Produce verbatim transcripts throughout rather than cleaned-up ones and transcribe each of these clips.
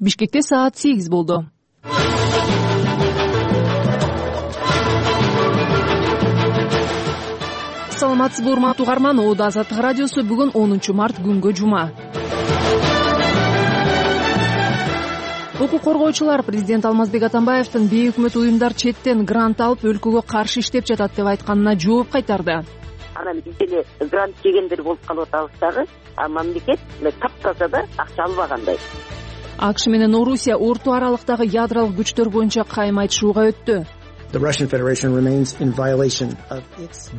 Бишкекте саат сегиз болду. Саламатсызбы урматтуу угарман, Оодо Азаттык радиосу бүгүн онунчу март күнгө жума. Укук коргоочулар президент Алмазбек Атамбаевдин бейөкмөт уюмдар четтен грант алып өлкөгө каршы иштеп жатат деп айтканына жооп кайтарды. Анан биз деле грант жегендер болуп калып атабыз дагы, а мамлекет таптаза да акча албагандай. АКШ менен Орусия орто аралыктагы ядролук күчтөр боюнча кайым айтышууга өттү.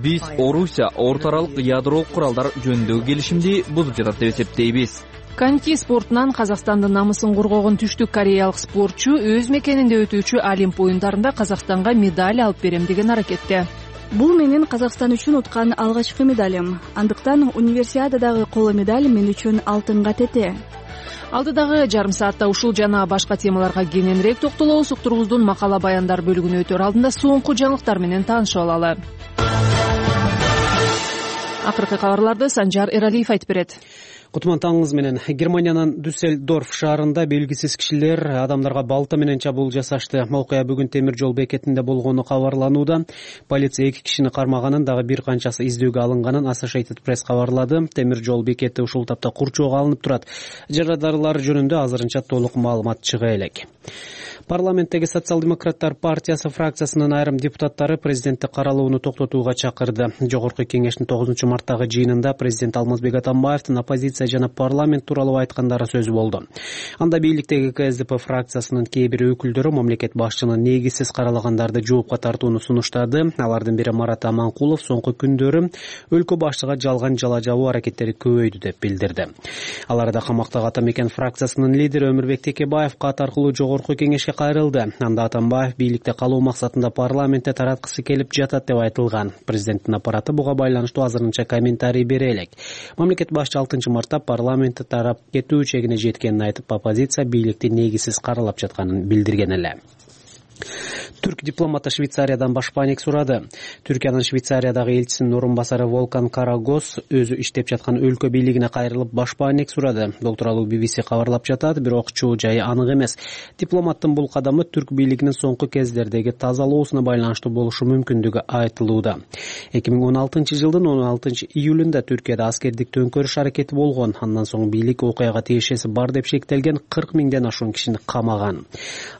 Биз Орусия орто аралык ядролук куралдар жөнүндөгү келишимди бузуп жатат деп эсептейбиз. Коньки спортунан Казакстандын намысын коргогон түштүк кореялык спортчу өз мекенинде өтүүчү Олимп оюндарында Казакстанга медаль алып берем деген аракетте. Бул менин Казакстан үчүн уткан алгачкы медалым. Андыктан универсиададагы коло медаль мен үчүн алтынга тете. Алдыдагы жарым саатта ушул жана башка темаларга кененирээк токтолобуз. Уктурубуздун макала баяндар бөлүгүнө өтөр алдында соңку жаңылыктар менен таанышып алалы. Акыркы кабарларды Санжар Эралиев айтып берет. Кутман таңыңыз менен. Германиянын Дюссельдорф шаарында белгисиз кишилер адамдарга балта менен чабуул жасашты. Окуя бүгүн темир жол бекетинде болгону кабарланууда. Полиция эки кишини кармаганын, дагы бир канчасы издөөгө алынганын Associated Press кабарлады. Темир жол бекети ушул тапта курчоого алынып турат. Жарадарлар жөнүндө азырынча толук маалымат чыга элек. Парламенттеги социал-демократтар партиясы фракциясынын айрым депутаттары президентти каралууну токтотууга чакырды. Жогорку кеңештин тогузунчу марттагы жыйынында президент Алмазбек Атамбаевдин оппозиция жана парламент тууралуу айткандары сөз болду. Анда бийликтеги КСДП фракциясынын кээ бир өкүлдөрү мамлекет башчынын негизсиз каралагандарды жоопко тартууну сунуштады. Алардын бири Марат Аманкулов соңку күндөрү өлкө башчыга жалган жала жабуу аракеттери көбөйдү деп билдирди. Аларда камактагы Ата Мекен фракциясынын лидери Өмүрбек Текебаев кат аркылуу жогорку кеңешке кайрылды. Анда Атамбаев бийликте калуу максатында парламентте тараткысы келип жатат деп айтылган. Президенттин аппараты буга байланыштуу азырынча комментарий бере элек. Мамлекет башчы алтынчы мартта парламентте тарап кетүү чегине жеткенин айтып, оппозиция бийликти негизсиз каралап жатканын билдирген эле. Түрк дипломаты Швейцариядан башпаанек сурады. Түркиянын Швейцариядагы элчисинин орун басары Волкан Карагос өзү иштеп жаткан өлкө бийлигине кайрылып башпаанек сурады. Бул тууралуу би би си кабарлап жатат, бирок чоо жайы анык эмес. Дипломаттын бул кадамы түрк бийлигинин соңку кездердеги тазалоосуна байланыштуу болушу мүмкүндүгү айтылууда. эки миң он алтынчы жылдын он алтынчы июлунда Түркияда аскердик төңкөрүш аракети болгон. Андан соң бийлик окуяга тиешеси бар деп шектелген кырк миңден ашуун кишини камаган.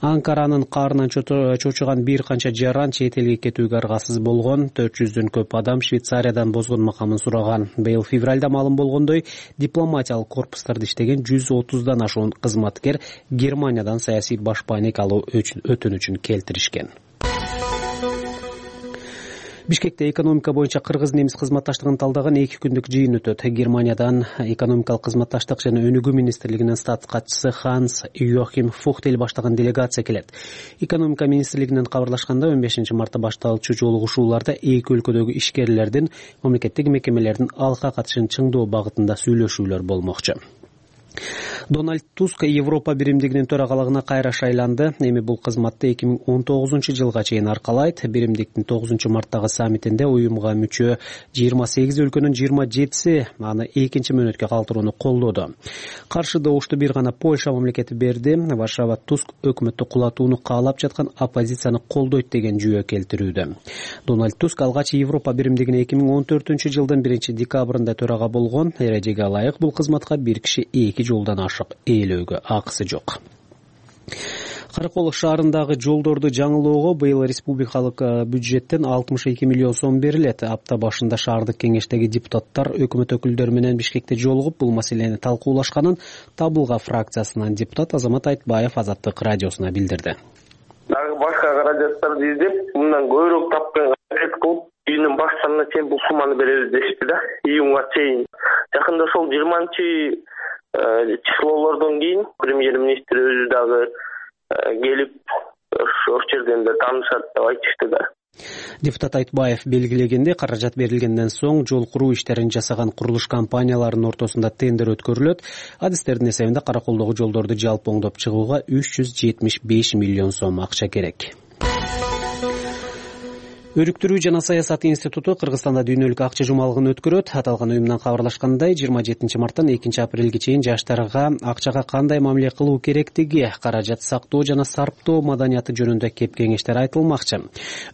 Анкаранын каарынан чочуган бир канча жаран чет элге кетүүгө аргасыз болгон. төрт жүздөн көп адам Швейцариядан бозгон макамын сураган. Быйыл февралда маалым болгондой, дипломатиялык корпустарда иштеген жүз отуздан ашуун кызматкер Германиядан саясий башпаанек алуу өтүнүчүн келтиришкен. Бишкекте экономика боюнча кыргыз-немис кызматташтыгын талдаган эки күндүк жыйын өтөт. Германиядан экономикалык кызматташтык жана өнүгүү министрлигинин статс катчысы Ханс Йохим Фухтель баштаган делегация келет. Экономика министрлигинен кабарлашканда он бешинчи мартта башталчу жолугушууларда эки өлкөдөгү ишкерлердин, мамлекеттик мекемелердин алка катышын чыңдоо багытында сүйлөшүүлөр болмокчу. Дональд Туск Европа биримдигинин төрагалыгына кайра шайланды. Эми бул кызматты эки миң он тогузунчу жылга чейин аркалайт. Биримдиктин тогузунчу марттагы саммитинде уюмга мүчө жыйырма сегиз өлкөнүн жыйырма жетиси аны экинчи мөөнөткө калтырууну колдоду. Каршы добушту бир гана Польша мамлекети берди. Варшава Туск өкмөттү кулатууну каалап жаткан оппозицияны колдойт деген жүйө келтирүүдө. Дональд Туск алгач Европа биримдигине эки миң он төртүнчү жылдын биринчи декабрында төрага болгон. Эрежеге ылайык бул кызматка бир киши эки жолдон ашык ээлөөгө акысы жок. Каракол шаарындагы жолдорду жаңылоого быйыл республикалык бюджеттен алтымыш эки миллион сом берилет. Апта башында шаардык кеңештеги депутаттар өкмөт өкүлдөрү менен Бишкекте жолугуп бул маселени талкуулашканын Табылга фракциясынан депутат Азамат Айтбаев Азаттык радиосуна билдирди. Дагы башка каражаттарды издеп, мындан көбүрөөк тапканга аракет кылып, июндун башында чейин бул сумманы беребиз дешти да, июнга чейин. Жакында ошол жыйырманчы числолордон кийин премьер-министр өзү дагы келип ошол жерден да таанышат деп айтышты да. Депутат Айтбаев белгилегенде, каражат берилгенден соң жол куруу иштерин жасаган курулуш компанияларынын ортосунда тендер өткөрүлөт. Адистердин эсебинде Караколдогу жолдорду жалпы оңдоп чыгууга үч жүз жетимиш беш миллион сом акча керек. Өрүктүрүү жана саясат институту Кыргызстанда дүйнөлүк акча жумалыгын өткөрөт. Аталган уюмдан кабарлашкандай, жыйырма жетинчи марттан экинчи апрелге чейин жаштарга акчага кандай мамиле кылуу керектиги, каражат сактоо жана сарптоо маданияты жөнүндө кеп кеңештер айтылмакчы.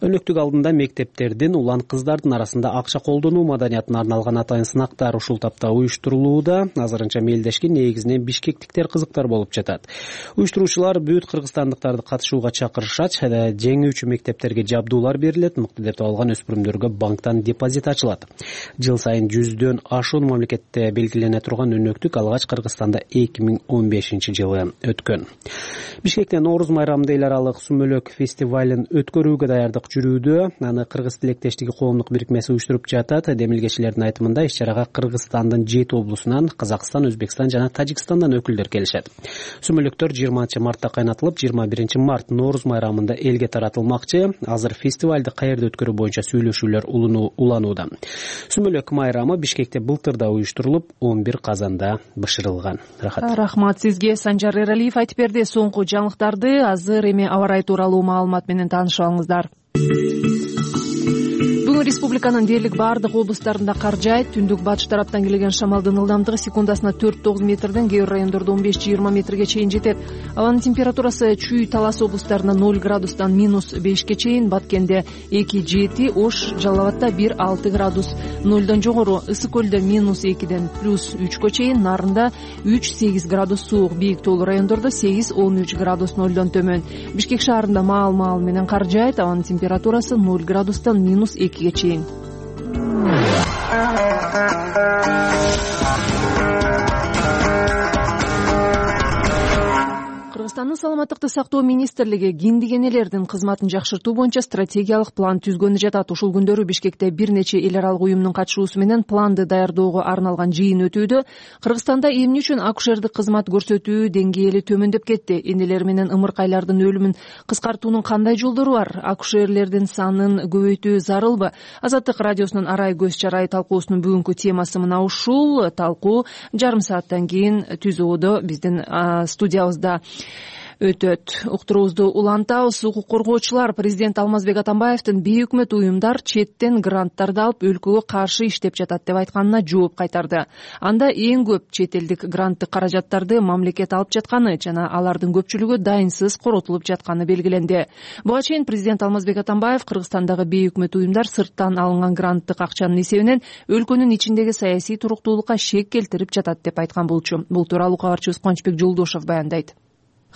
Өнөктүк алдында мектептердин, улан кыздардын арасында акча колдонуу маданиятына арналган атайын сынактар ушул тапта уюштурулууда. Азырынча мелдешке негизинен бишкектиктер кызыктар болуп жатат. Уюштуруучулар бүт кыргызстандыктарды катышууга чакырышат, жеңүүчү мектептерге жабдуулар берилет, деп алган өспүрүмдөргө банктан депозит ачылат. Жыл сайын жүздөн ашуун мамлекетте белгилене турган өнөктүк алгач Кыргызстанда эки миң он бешинчи жылы өткөн. Бишкекте Нооруз майрамында эл аралык сүмөлөк фестивалын өткөрүүгө даярдык жүрүүдө. Аны Кыргыз тилектештиги коомдук бирикмеси уюштуруп жатат. Демилгечилердин айтымында иш-чарага Кыргызстандын жети облусунан, Казакстан, Өзбекстан жана Тажикстандан өкүлдөр келишет. Сүмөлөктөр жыйырманчы мартта кайнатылып, жыйырма биринчи март Нооруз майрамында элге таратылмакчы. Азыр фестивалды каерде өткөрүү боюнча сүйлөшүүлөр уланууда. Сүмөлөк майрамы Бишкекте былтырда уюштурулуп, он бир казанда бышырылган. Рахат. Рахмат сизге. Санжар Эралиев айтып берди. Соңку жаңылыктарды азыр эми аба ырайы тууралуу маалымат менен таанышып алыңыздар. Бүгүн республиканын дээрлик баардык облустарында кар жаайт. Түндүк батыш тараптан келген шамалдын ылдамдыгы секундасына төрт тогуз метрден, кээ бир райондордо он беш жыйырма метрге чейин жетет. Абанын температурасы Чүй, Талас облустарында ноль градустан минус бешке чейин, Баткенде эки жети, Ош, Жалал Абадта бир алты градус нолдон жогору, Ысык көлдө минус экиден плюс үчкө чейин, Нарында үч сегиз градус суук, бийик тоолуу райондордо сегиз он үч градус нолдон төмөн. Бишкек шаарында маал-маал менен кар жаайт. Абанын температурасы ноль градустан минус экиге чейин. Кыргызстандын саламаттыкты сактоо министрлиги киндигенелердин кызматын жакшыртуу боюнча стратегиялык план түзгөнү жатат. Ушул күндөрү Бишкекте бир нече эл аралык уюмдун катышуусу менен планды даярдоого арналган жыйын өтүүдө. Кыргызстанда эмне үчүн акушердик кызмат көрсөтүү деңгээли төмөндөп кетти? Энелер менен ымыркайлардын өлүмүн кыскартуунун кандай жолдору бар? Акушерлердин санын көбөйтүү зарылбы? Азаттык радиосунун арай көз чарайы талкуусунун бүгүнкү темасы мына ушул. Талкуу жарым сааттан кийин түзүүдө биздин студиябызда өтөт. Уктуруубузду улантабыз. Укук коргоочулар президент Алмазбек Атамбаевдин бейөкмөт уюмдар четтен гранттарды алып өлкөгө каршы иштеп жатат деп айтканына жооп кайтарды. Анда эң көп чет элдик гранттык каражаттарды мамлекет алып жатканы жана алардын көпчүлүгү дайынсыз коротулуп жатканы белгиленди. Буга чейин президент Алмазбек Атамбаев Кыргызстандагы бейөкмөт уюмдар сырттан алынган гранттык акчанын эсебинен өлкөнүн ичиндеги саясий туруктуулукка шек келтирип жатат деп айткан болчу. Бул тууралуу кабарчыбыз Кубанычбек Жолдошов баяндайт.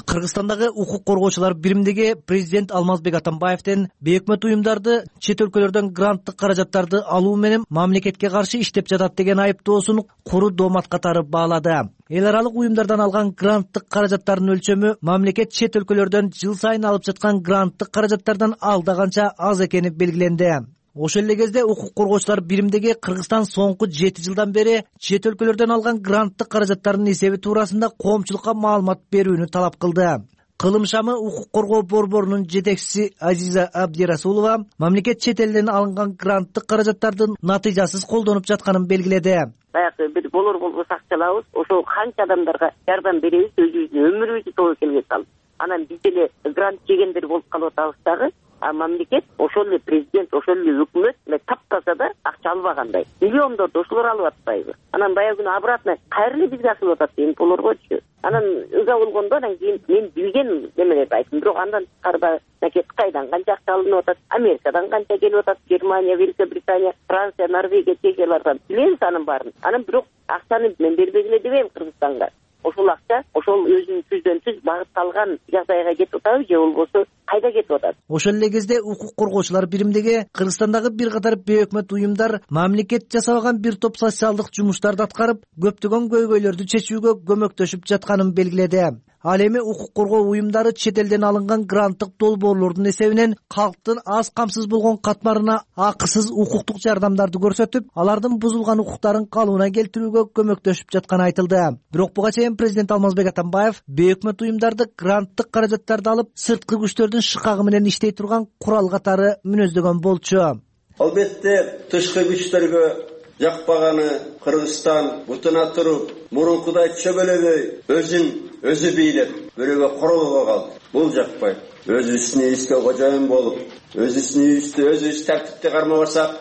Кыргызстандагы укук коргоочулар биримдиги президент Алмазбек Атамбаевдин бейөкмөт уюмдарды чет өлкөлөрдөн гранттык каражаттарды алуу менен мамлекетке каршы иштеп жатат деген айыптоосун куру доомат катары баалады. Эл аралык уюмдардан алган гранттык каражаттардын өлчөмү мамлекет чет өлкөлөрдөн жыл сайын алып жаткан гранттык каражаттардан алда канча аз экени белгиленди. Ошол эле кезде укук коргоочулар биримдиги Кыргызстан соңку жети жылдан бери чет өлкөлөрдөн алган гранттык каражаттардын эсеби туурасында коомчулукка маалымат берүүнү талап кылды. Кылым шамы укук коргоо борборунун жетекчиси Азиза Абдирасулова мамлекет чет элден алынган гранттык каражаттардын натыйжасыз колдонуп жатканын белгиледи. Баягы бир болор болбос акчалабыз, ошол канча адамдарга жардам беребиз, өзүбүздүн өмүрүбүздү тобокелге салып. Анан биз деле грант жегендер болуп калып атабыз дагы. А мамлекет, ошол эле президент, ошол эле өкмөт таптаса да акча албагандай. Миллиондорду ошолор алып атпайбы? Анан баягы күнү обратно кайра эле бизге асылып атат деген болоргочу. Анан ыза болгондо анан кийин мен билген немелерди айттым. Бирок андан тышкары мамлекет Кытайдан канча акча алынып атат, Америкадан канча келип атат, Германия, Великобритания, Франция, Норвегия, Чехиялардан билебиз анын баарын. Анан бирок акчаны мен бербегиле дебейм Кыргызстанга. Ошол акча ошол өзүнүн түздөн түз багытталган жагдайга кетип атабы же болбосо кайда кетип атат? Ошол эле кезде укук коргоочулар биримдиги Кыргызстандагы бир катар бейөкмөт уюмдар мамлекет жасабаган бир топ социалдык жумуштарды аткарып, көптөгөн көйгөйлөрдү чечүүгө көмөктөшүп жатканын белгиледи. Ал эми укук коргоо уюмдары чет элден алынган гранттык долбоорлордун эсебинен калктын аз камсыз болгон катмарына акысыз укуктук жардамдарды көрсөтүп, алардын бузулган укуктарын калыбына келтирүүгө көмөктөшүп жатканы айтылды. Бирок буга чейин президент Алмазбек Атамбаев бейөкмөт уюмдарды гранттык каражаттарды алып, сырткы күчтөрдүн шыкагы менен иштей турган курал катары мүнөздөгөн болчу. Албетте тышкы күчтөргө жакпаганы Кыргызстан бутуна туруп, мурункудай чөгөлөбөй өзүн өзү бийлеп, бирөөгө королго калды. Бул жакпайт. Өзүбүздүн үйүбүзгө кожоюн болуп, өзүбүздүн үйүбүздү өзүбүз тартипти кармап барсак,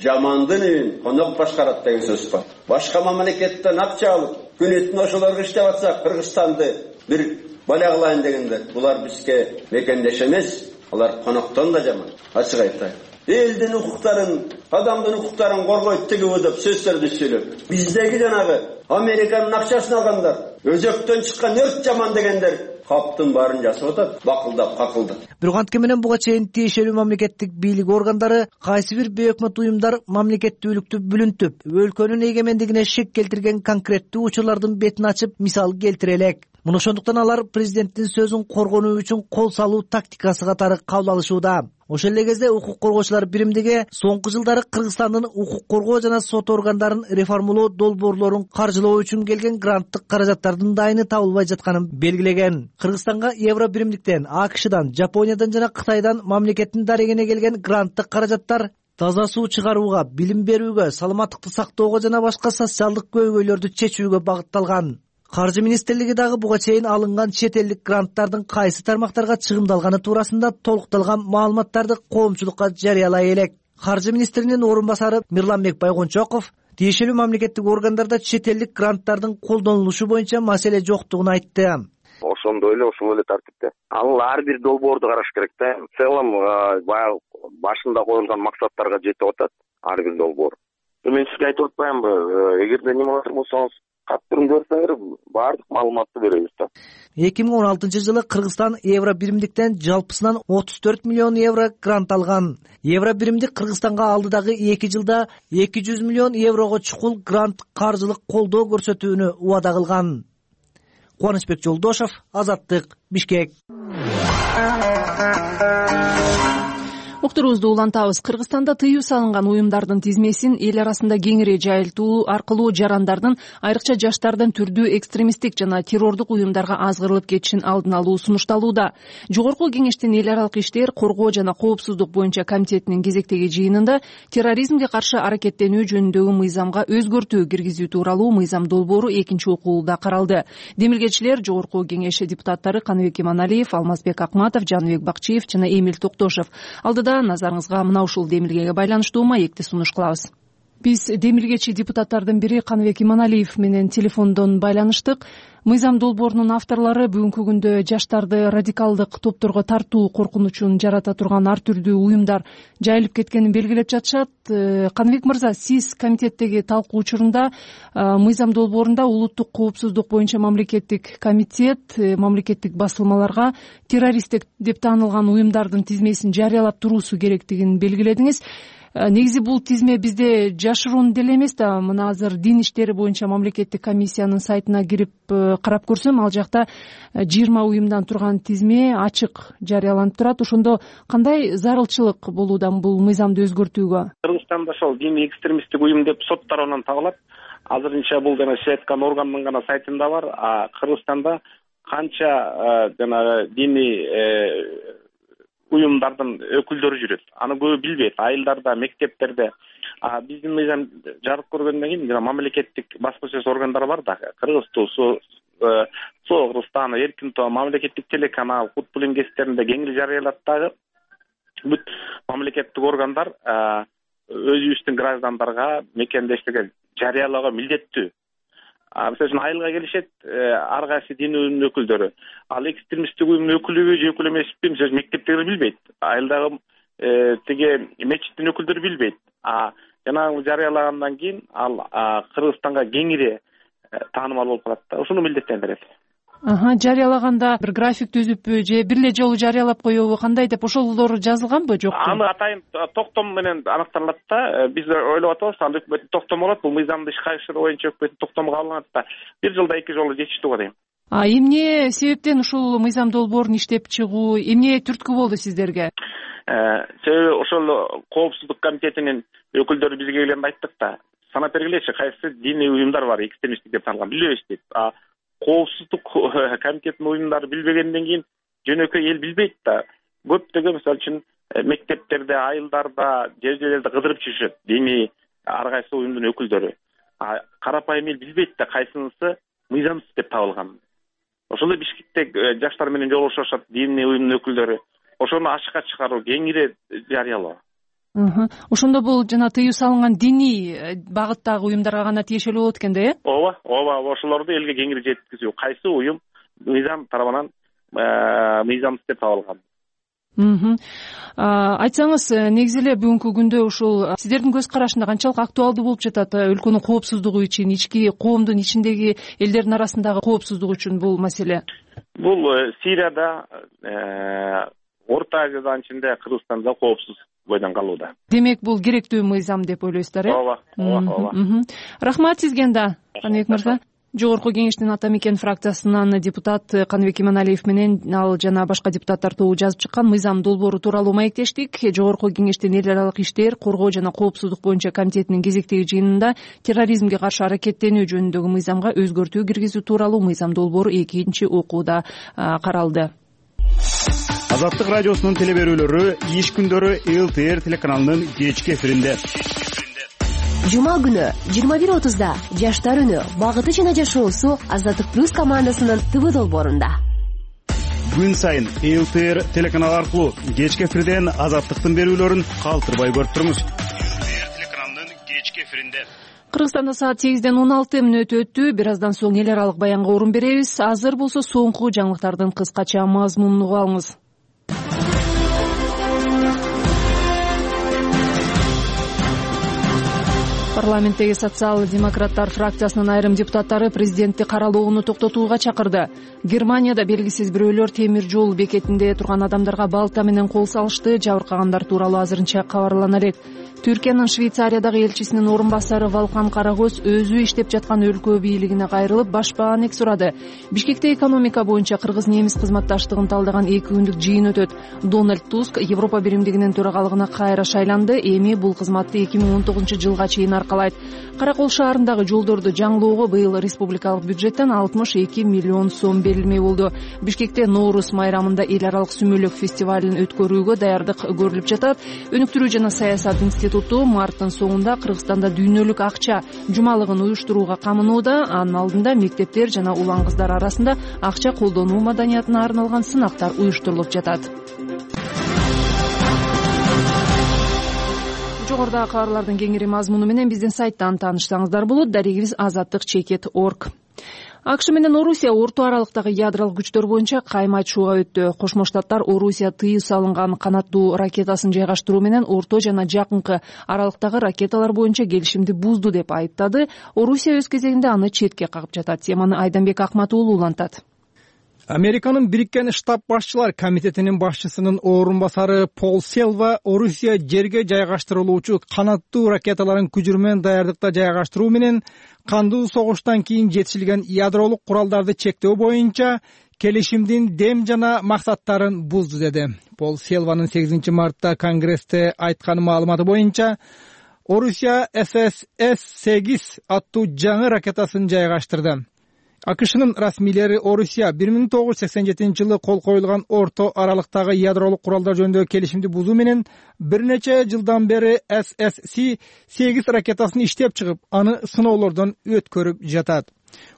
жамандын үйүн конок башкарат деген сөз бар. Башка мамлекеттен акча алып, күнүтүн ошолорго иштеп атсак, Кыргызстанды бир бала кылайын дегендер, булар бизге мекендеш эмес, алар коноктон да жаман. Ачык айтайын. Элдин укуктарын, адамдын укуктарын коргойт тигиби деп сөздөрдү сүйлөп, биздеги жанагы Американын акчасын алгандар, өзөктөн чыккан өрт жаман дегендер каптын баарын жасап атат, бакылдап, какылдап. Бирок анткени менен буга чейин тиешелүү мамлекеттик бийлик органдары кайсы бир бейөкмөт уюмдар мамлекеттүүлүктү бүлүнтүп, өлкөнүн эгемендигине шек келтирген конкреттүү учурлардын бетин ачып, мисал келтире элек. Муну ошондуктан алар президенттин сөзүн коргонуу үчүн кол салуу тактикасы катары кабыл алышууда. Ошол эле кезде укук коргоочулар биримдиги соңку жылдары Кыргызстандын укук коргоо жана сот органдарын реформалоо долбоорлорун каржылоо үчүн келген гранттык каражаттардын дайыны табылбай жатканын белгилеген. Кыргызстанга евро биримдиктен, АКШдан, Жапониядан жана Кытайдан мамлекеттин дарегине келген гранттык каражаттар таза суу чыгарууга, билим берүүгө, саламаттыкты сактоого жана башка социалдык көйгөйлөрдү чечүүгө багытталган. Каржы министрлиги дагы буга чейин алынган чет элдик гранттардын кайсы тармактарга чыгымдалганы туурасында толукталган маалыматтарды коомчулукка жарыялай элек. Каржы министринин орун басары Мирланбек Байгончоков тиешелүү мамлекеттик органдарда чет элдик гранттардын колдонулушу боюнча маселе жоктугун айтты. Ошондой эле ошол эле тартипте. Ал ар бир долбоорду караш керек да. В целом баягы башында коюлган максаттарга жетип атат ар бир долбоор. Мен сизге айтып атпаймынбы, эгерде неме кылат болсоңуз каттырым көрсөңөр баардык маалыматты беребиз да. эки миң он алтынчы жылы Кыргызстан евро биримдиктен жалпысынан отуз төрт миллион евро грант алган. Евро биримдик Кыргызстанга алдыдагы эки жылда эки жүз миллион еврого чукул грант каржылык колдоо көрсөтүүнү убада кылган. Кубанычбек Жолдошов, Азаттык, Бишкек. Уктуруубузду улантабыз. Кыргызстанда тыюу салынган уюмдардын тизмесин эл арасында кеңири жайылтуу аркылуу жарандардын, айрыкча жаштардын түрдүү экстремисттик жана террордук уюмдарга азгырылып кетишин алдын алуу сунушталууда. Жогорку кеңештин эл аралык иштер, коргоо жана коопсуздук боюнча комитетинин кезектеги жыйынында терроризмге каршы аракеттенүү жөнүндөгү мыйзамга өзгөртүү киргизүү тууралуу мыйзам долбоору экинчи окууда каралды. Демилгечилер жогорку кеңеш депутаттары Каныбек Иманалиев, Алмазбек Акматов, Жаныбек Бакчиев жана Эмил Токтошев. Алдыда назарыңызга мына ушул демилгеге байланыштуу маекти сунуш кылабыз. Биз демилгечи депутаттардын бири Каныбек Иманалиев менен телефондон байланыштык. Мыйзам долбоорунун авторлору бүгүнкү күндө жаштарды радикалдык топторго тартуу коркунучун жарата турган ар түрдүү уюмдар жайылып кеткенин белгилеп жатышат. Каныбек мырза, сиз комитеттеги талкуу учурунда мыйзам долбоорунда улуттук коопсуздук боюнча мамлекеттик комитет мамлекеттик басылмаларга террористтик деп таанылган уюмдардын тизмесин жарыялап туруусу керектигин белгиледиңиз. Негизи бул тизме бизде жашыруун деле эмес да. Мына азыр дин иштери боюнча мамлекеттик комиссиянын сайтына кирип карап көрсөм, ал жакта жыйырма уюмдан турган тизме ачык жарыяланып турат. Ошондо кандай зарылчылык болууда бул мыйзамды өзгөртүүгө? Кыргызстанда ошол диний экстремисттик уюм деп сот тарабынан табылат. Азырынча бул жана сиз айткан органдын гана сайтында бар. А Кыргызстанда канча жанагы диний уюмдардын өкүлдөрү жүрөт. Аны көбү билбейт. Айылдарда, мектептерде. А биздин мыйзам жарык көргөндөн кийин жана мамлекеттик басма сөз органдары бар да. Кыргыз Тусу, Соо Кыргызстан, Эркин Тоо, мамлекеттик телеканал, футбол ингестеринде кеңири жарыялат дагы. Бүт мамлекеттик органдар өзүбүздүн граждандарга мекендештерге жарыялоого милдеттүү. Мисалы үчүн айылга келишет ар кайсы дин уюмунун өкүлдөрү. Ал экстремисттик уюмдун өкүлүбү же өкүлү эмеспи, мисалы мектептегилер билбейт. Айылдагы тиги мечиттин өкүлдөрү билбейт. А жана жарыялагандан кийин ал Кыргызстанга кеңири таанымал болуп калат да. Ушуну милдеттендирет. Аха, жарыялаганда бир график түзүппү же бир эле жолу жарыялап коебу, кандай деп ошолор жазылганбы, жокпу? Аны атайын токтом менен аныкталат да. Биз ойлоп атабыз, ал өкмөттүн токтому болот, бул мыйзамды ишке ашыруу боюнча өкмөттүн токтому кабыл алынат да. Бир жылда эки жолу жетиштүү го дейм. А эмне себептен ушул мыйзам долбоорун иштеп чыгуу, эмне түрткү болду сиздерге? Себеби ошол коопсуздук комитетинин өкүлдөрү бизге келгенде айттык да. Санап бергилечи, кайсы диний уюмдар бар экстремисттик деп таанылган, билбейбиз дейт. А коопсуздук комитетинин уюмдары билбегенден кийин жөнөкөй эл билбейт да. Көптөгөн мисалы үчүн мектептерде, айылдарда, жер жерлерде кыдырып жүрүшөт диний ар кайсы уюмдун өкүлдөрү. А карапайым эл билбейт да кайсынысы мыйзамсыз деп табылган. ошол эле Бишкекте жаштар менен жолугушушат диний уюмдун өкүлдөрү, ошону ачыкка чыгаруу, кеңири жарыялоо. Ошондо бул жана тыюу салынган диний багыттагы уюмдарга гана тиешелүү болот экен да, э? Ооба, ооба, ошолорду элге кеңири жеткизүү. Кайсы уюм мыйзам тарабынан мыйзамсыз деп табылган. Айтсаңыз, негизи эле бүгүнкү күндө ушул сиздердин көз карашында канчалык актуалдуу болуп жатат өлкөнүн коопсуздугу үчүн, ички коомдун ичиндеги элдердин арасындагы коопсуздук үчүн бул маселе? Бул Сирияда, Орто Азиянын ичинде, Кыргызстанда коопсуз бойдон калууда. Демек, бул керектүү мыйзам деп ойлойсуздар, э? Ооба, ооба, ооба. Рахмат сизге да, Каныбек мырза. Жогорку кеңештин Ата Мекен фракциясынан депутат Каныбек Иманалиев менен ал жана башка депутаттар тобу жазып чыккан мыйзам долбоору тууралуу маектештик. Жогорку кеңештин эл аралык иштер, коргоо жана коопсуздук боюнча комитетинин кезектеги жыйынында терроризмге каршы аракеттенүү жөнүндөгү мыйзамга өзгөртүү киргизүү тууралуу мыйзам долбоору экинчи окууда каралды. Азаттык радиосунун теле берүүлөрү иш күндөрү эл тэ эр телеканалынын кечки эфиринде. Жума күнү жыйырма бир отузда Жаштар үнү багыты жана жашоосу Азаттык плюс командасынын ТВ долбоорунда. Күн сайын эл тэ эр телеканалы аркылуу кечки эфирден Азаттыктын берүүлөрүн калтырбай көрүп туруңуз. эл тэ эр телеканалынын кечки эфиринде. Кыргызстанда саат сегизден он алты мүнөт өттү. Бир аздан соң эл аралык баянга орун беребиз. Азыр болсо соңку жаңылыктардын кыскача мазмунун угуп алыңыз. Парламенттеги социал-демократтар фракциясынын айрым депутаттары президентти каралоону токтотууга чакырды. Германияда белгисиз бирөөлөр темир жол бекетинде турган адамдарга балта менен кол салышты. Жабыркагандар тууралуу азырынча кабарлана элек. Түркиянын Швейцариядагы элчисинин орун басары Валкан Карагөз өзү иштеп жаткан өлкө бийлигине кайрылып, баш баанек сурады. Бишкекте экономика боюнча кыргыз-немис кызматташтыгын талдаган эки күндүк жыйын өтөт. Дональд Туск Европа биримдигинин төрагалыгына кайра шайланды. Эми бул кызматты эки миң он тогузунчу жылга чейин аркалайт. Каракол шаарындагы жолдорду жаңылоого быйыл республикалык бюджеттен алтымыш эки миллион сом берилмек болду. Бишкекте Ноорус майрамында эл аралык сүмөлөк фестивалын өткөрүүгө даярдык көрүлүп жатат. Өнүктүрүү жана саясат институту марттын соңунда Кыргызстанда дүйнөлүк акча жумалыгын уюштурууга камынууда. Анын алдында мектептер жана улан кыздар арасында акча колдонуу маданиятына арналган сынактар уюштурулуп жатат. Жогорудагы кабарлардын кеңири мазмуну менен биздин сайттан таанышсаңыздар болот. Дарегибиз азаттык чекит точка орг. АКШ менен Орусия орто аралыктагы ядролук күчтөр боюнча кайым айтышууга өттү. Кошмо Штаттар Орусия тыюу салынган канаттуу ракетасын жайгаштыруу менен орто жана жакынкы аралыктагы ракеталар боюнча келишимди бузду деп айыптады. Орусия өз кезегинде аны четке кагып жатат. Теманы Айданбек Акмат уулу улантат. Американын Бириккен Штаб башчылар комитетинин башчысынын орун басары Пол Селва Орусия жерге жайгаштырылуучу канаттуу ракеталарын күчүрмөн даярдыкта жайгаштыруу менен кандуу согуштан кийин жетишилген ядролук куралдарды чектөө боюнча келишимдин дем жана максаттарын бузду деди. Пол Селванын сегизинчи мартта Конгрессте айткан маалыматы боюнча Орусия эс эс эс сегиз аттуу жаңы ракетасын жайгаштырды. АКШнын расмийлери Орусия бир миң тогуз жүз сексен жетинчи жылы кол коюлган орто аралыктагы ядролук куралдар жөнүндөгү келишимди бузуу менен бир нече жылдан бери эс эс сегиз ракетасын иштеп чыгып, аны сыноолордон өткөрүп жатат.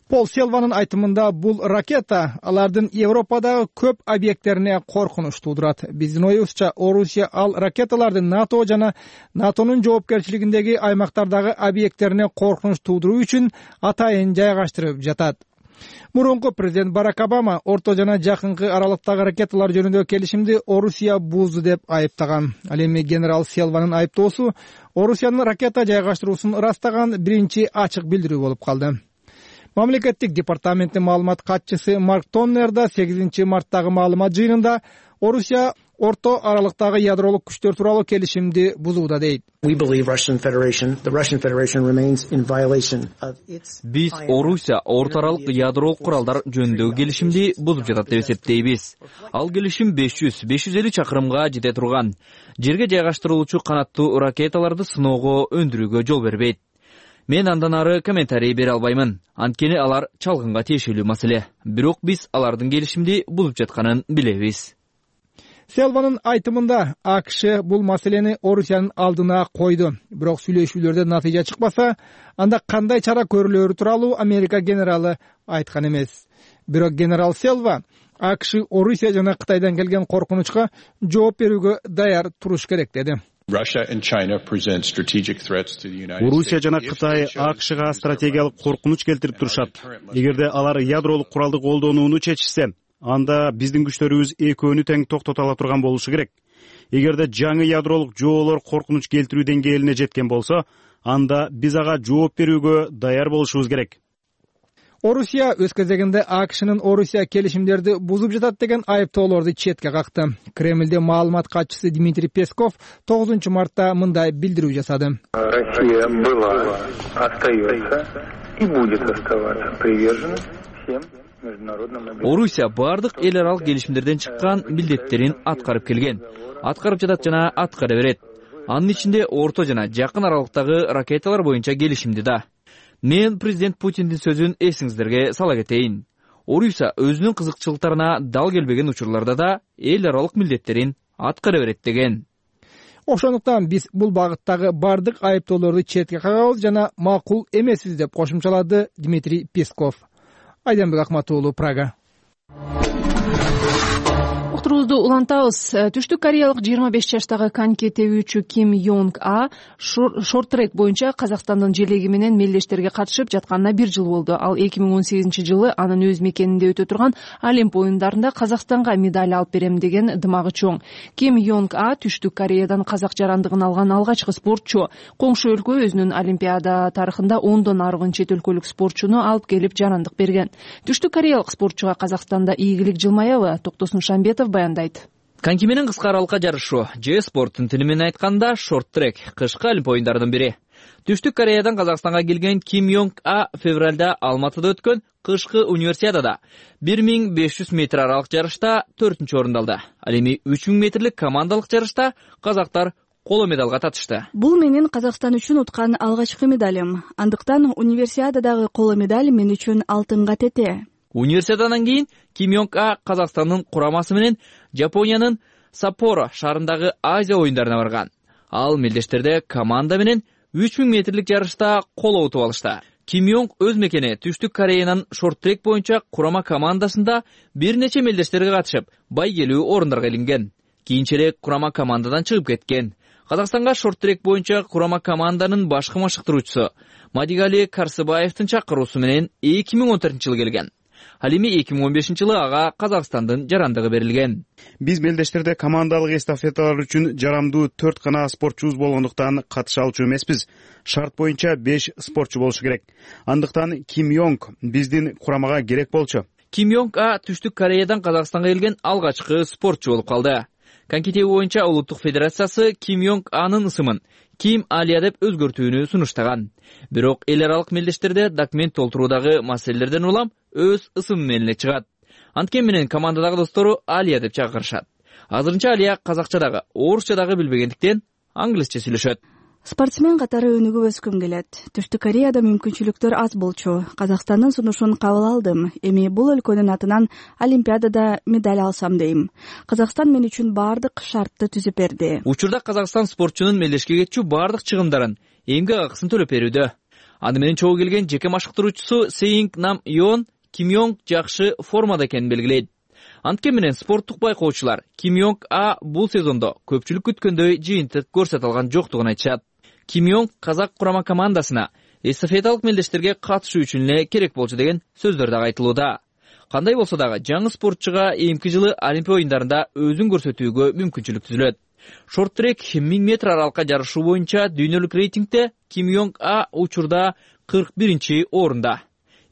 Пол Селванын айтымында бул ракета алардын Европадагы көп объекттерине коркунуч туудурат. Биздин оюбузча Орусия ал ракеталарды НАТО жана НАТОнун жоопкерчилигиндеги аймактардагы объекттерине коркунуч туудуруу үчүн атайын жайгаштырып жатат. Мурунку президент Барак Обама орто жана жакынкы аралыктагы ракеталар жөнүндөгү келишимди Орусия бузду деп айыптаган. Ал эми генерал Селванын айыптоосу Орусиянын ракета жайгаштыруусун ырастаган биринчи ачык билдирүү болуп калды. Мамлекеттик департаменттин маалымат катчысы Марк Тоннер да сегизинчи марттагы маалымат жыйынында Орусия орто аралыктагы ядролук күчтөр тууралуу келишимди бузууда дейт. Биз Орусия орто аралык ядролук куралдар жөнүндөгү келишимди бузуп жатат деп эсептейбиз. Ал келишим беш жүз беш жүз элүү чакырымга жете турган жерге жайгаштырылуучу канаттуу ракеталарды сыноого өндүрүүгө жол бербейт. Мен андан ары комментарий бере албаймын. Анткени алар чалгынга тиешелүү маселе. Бирок биз алардын келишимди бузуп жатканын билебиз. Селванын айтымында АКШ бул маселени Орусиянын алдына койду. Бирок сүйлөшүүлөрдө натыйжа чыкпаса, анда кандай чара көрүлөөрү тууралуу Америка генералы айткан эмес. Бирок генерал Селва АКШ Орусия жана Кытайдан келген коркунучка жооп берүүгө даяр туруш керек деди. Орусия жана Кытай АКШга стратегиялык коркунуч келтирип турушат. Эгерде алар ядролук куралды колдонууну чечишсе, анда биздин күчтөрүбүз экөөнү тең токтото ала турган болушу керек. Эгерде жаңы ядролук жоолор коркунуч келтирүү деңгээлине жеткен болсо, анда биз ага жооп берүүгө даяр болушубуз керек. Орусия өз кезегинде АКШнын Орусия келишимдерди бузуп жатат деген айыптоолорду четке какты. Кремлде маалымат катчысы Дмитрий Песков тогузунчу мартта мындай билдирүү жасады. Россия была, остается и будет оставаться привержена всем международным обязательствам. Орусия бардык эл аралык келишимдерден чыккан милдеттерин аткарып келген. Аткарып жатат жана аткара берет. Анын ичинде орто жана жакын аралыктагы ракеталар боюнча келишимди да. Мен президент Путиндин сөзүн эсиңиздерге сала кетейин. Орусия өзүнүн кызыкчылыктарына дал келбеген учурларда да эл аралык милдеттерин аткара берет деген. Ошондуктан биз бул багыттагы бардык айыптоолорду четке кагабыз жана макул эмеспиз деп кошумчалады Дмитрий Песков. Айданбек Акматуулу, Прага. Уктурубузду улантабыз. Түштүк Кореялык жыйырма беш жаштагы коньки тебүүчү Ким Йонг А шорт-трек боюнча Казакстандын желеги менен мелдештерге катышып жатканына бир жыл болду. Ал эки миң он сегизинчи жылы анын өз мекенинде өтө турган Олимп оюндарында Казакстанга медаль алып берем деген дымагы чоң. Ким Йонг А Түштүк Кореядан казак жарандыгын алган алгачкы спортчу. Коңшу өлкө өзүнүн Олимпиада тарыхында ондон арбын чет өлкөлүк спортчуну алып келип жарандык берген. Түштүк Кореялык спортчуга Казакстанда ийгилик жылмаябы? Токтосун Шамбетов баяндайт. Коньки менен кыска аралыкка жарышуу же спорттун тили менен айтканда шорт-трек кышкы Олимп оюндарынын бири. Түштүк Кореядан Казакстанга келген Ким Йонг А февралда Алматыда өткөн кышкы универсиадада бир миң беш жүз метр аралык жарышта төртүнчү орунду алды. Ал эми үч миң метрлик командалык жарышта казактар коло медалга татышты. Бул менин Казакстан үчүн уткан алгачкы медалым. Андыктан универсиададагы коло медаль мен үчүн алтынга тете. Универсиададан кийин Ким Йонг А Казакстандын курамасы менен Жапониянын Саппоро шаарындагы Азия оюндарына барган. Ал мелдештерде команда менен үч миң метрлик жарышта коло утуп алышты. Ким Йонг өз мекени Түштүк Кореянын шорт-трек боюнча курама командасында бир нече мелдештерге катышып, байгелүү орундарга илинген. Кийинчерээк курама командадан чыгып кеткен. Казакстанга шорт-трек боюнча курама команданын башкы машыктыруучусу Мадигали Карсыбаевдин чакыруусу менен эки миң он төртүнчү жылы келген. Ал эми эки миң он бешинчи жылы ага Казакстандын жарандыгы берилген. Биз мелдештерде командалык эстафеталар үчүн жарамдуу төрт гана спортчубуз болгондуктан катыша алчу эмеспиз. Шарт боюнча беш спортчу болушу керек. Андыктан Ким Йонг биздин курамага керек болчу. Ким Йонг А Түштүк Кореядан Казакстанга келген алгачкы спортчу болуп калды. Коньки тебүү боюнча улуттук федерациясы Ким Йонг Анын ысымын Ким Алия деп өзгөртүүнү сунуштаган. Бирок эл аралык мелдештерде документ толтуруудагы маселелерден улам өз ысымы менен чыгат. Анткени менен командадагы достору Алия деп чакырышат. Азырынча Алия казакчадагы, орусчадагы билбегендиктен англисче сүйлөшөт. Спортсмен катары өнүгүп өскүм келет. Түштүк Кореяда мүмкүнчүлүктөр аз болчу. Казакстандын сунушун кабыл алдым. Эми бул өлкөнүн атынан Олимпиадада медаль алсам дейм. Казакстан мен үчүн бардык шартты түзүп берди. Учурда Казакстан спортчунун мелдешке кетчү бардык чыгымдарын, эмгек акысын төлөп берүүдө. Аны менен чогуу келген жеке машыктыруучусу Сеинг Нам Йон Ким Йонг жакшы формада экенин белгилейт. Анткени менен спорттук байкоочулар Ким Йонг А бул сезондо көпчүлүк күткөндөй жыйынтык көрсөтө алган жоктугун айтышат. Ким Йонг казак курама командасына эстафеталык мелдештерге катышуу үчүн эле керек болчу деген сөздөр дагы айтылууда. Кандай болсо дагы жаңы спортчуга эмки жылы Олимп оюндарында өзүн көрсөтүүгө мүмкүнчүлүк түзүлөт. Шорт-трек миң метр аралыкка жарышуу боюнча дүйнөлүк рейтингде Ким Йонг А учурда кырк биринчи орунда.